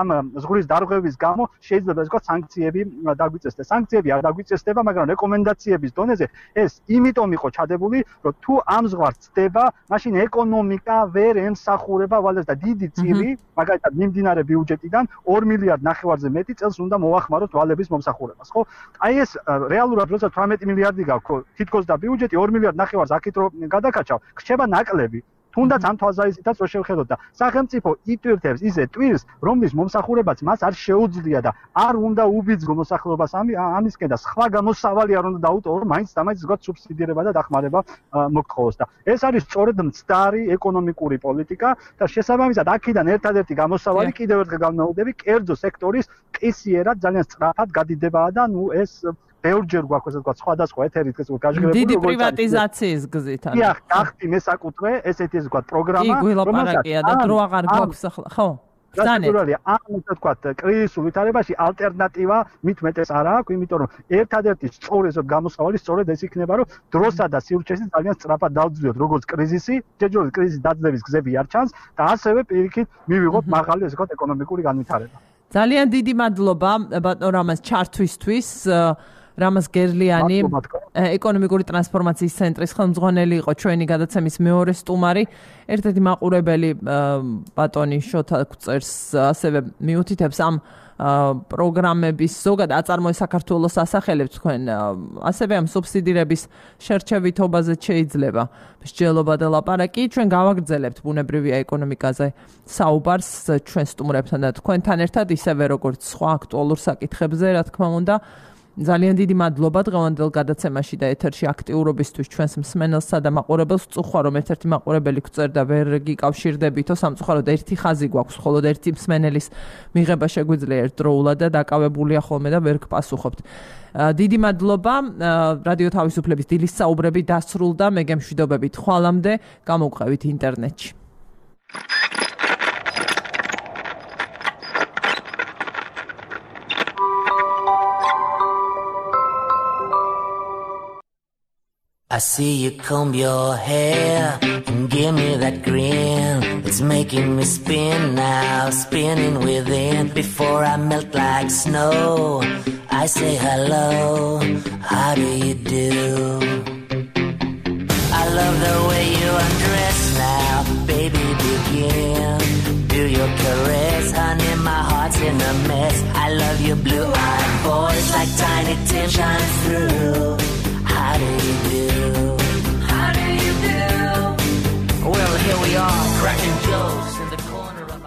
ამ ზღურის დარღვევის გამო შეიძლება ესე ვთქვათ სანქციები დაგვიწესდეს. სანქციები არ დაგვიწესდება, მაგრამ რეკომენდაციების დონეზე ეს იმიტომ იყო ჩადებული, რომ თუ ამ ზღვარს ცდება, მაშინ ეკონომიკა ვერ ემსახურება ვალეს და დიდი წილი, მაგალითად მიმდინარე ბიუჯეტიდან 2 მილიარდ ნახევარზე მეტი წელს უნდა მოახმაროთ ვალების მომსახურებას, ხო? აი ეს რეალურად როცა 18 მილიარდი გაქვს, თითქოს და ბიუჯეტი 2 მილიარდ ნახევარს აქეთ რო გადაკაჩავ, ხდება ნაკლები. თუნდაც ამ თვალსაზრისითაც რო შევხედოთ და სახელმწიფო იტვირთებს ისე ტვირს, რომლის მომსახურებაც მას არ შეუძლია და არ უნდა უბიძგო მოსახლეობას ამისკენ და სხვა გამოსავალი არ უნდა დაუტოვო, რომ მაინც ვთქვათ სუბსიდირება და დახმარება მოგთხოვოს და ეს არის სწორედ მცდარი ეკონომიკური პოლიტიკა და შესაბამისად აქედან ერთადერთი გამოსავალი კიდევ ერთხელ განმეორდები, კერძო სექტორის ყისიერად ძალიან სწრაფად გადიდებაა და ნუ ეს ბევრჯერ გვაქვს ასე ვთქვათ სხვადასხვა ეთერით ეს გაჟღერებული დიდი პრივატიზაციის გზით არის. დიახ, გახდი მესაკუთრე ესეთი ასე ვთქვათ პროგრამა, რომელსაც და დრო აღარ გვაქვს ახლა, ხო? ბრძანეთ. ამ ასე ვთქვათ კრიზისულ ვითარებაში ალტერნატივა მით მეტეს არ აქვს, იმიტომ რომ ერთადერთი სწორი ესე გამოსავალი სწორედ ეს იქნება, რომ დროსა და სივრცეში ძალიან სწრაფად დავძლიოთ როგორც კრიზისი, ჯერჯერობით კრიზისის დაძლევის გზები არ ჩანს და ასევე პირიქით მივიღოთ მაღალი ასე ვთქვათ ეკონომიკური განვითარება. ძალიან დიდი მადლობა ბატონ რამაზ ჩართვისთვის. რამაზ გერლიანი ეკონომიკური ტრანსფორმაციის ცენტრის ხელმძღვანელი იყო ჩვენი გადაცემის მეორე სტუმარი. ერთ-ერთი მაყურებელი ბატონი შოთა წერს ასევე მიუთითებს ამ პროგრამების ზოგად აწარმოეს საქართველოს ასახელებს თქვენ ასევე ამ სუბსიდირების შერჩევითობაზე შეიძლება მსჯელობა და ლაპარაკი. ჩვენ გავაგრძელებთ ბუნებრივია ეკონომიკაზე საუბარს ჩვენ სტუმრებთან და თქვენთან ერთად ისევე როგორც სხვა აქტუალურ საკითხებზე, რა თქმა უნდა. ძალიან დიდი მადლობა დღევანდელ გადაცემაში და ეთერში აქტიურობისთვის ჩვენს მსმენელსა და მაყურებელს. წუხვა რომ ერთ-ერთი მაყურებელი გვწერდა ვერ გიკავშირდებითო, სამწუხაროდ ერთი ხაზი გვაქვს, ხოლო ერთი მსმენელის მიღება შეგვიძლია ერთდროულად და დაკავებულია ხოლმე და ვერ გპასუხობთ. დიდი მადლობა. რადიო თავისუფლების დილის საუბრები დასრულდა. მე გემშვიდობებით ხვალამდე. გამოვყევით ინტერნეტში. I see you comb your hair and give me that grin. It's making me spin now, spinning within. Before I melt like snow, I say hello, how do you do? I love the way you undress now, baby, begin. Do your caress, honey, my heart's in a mess. I love your blue-eyed voice like Tiny Tim shines through. How do you do? How do you do? Well, here we are, cracking jokes.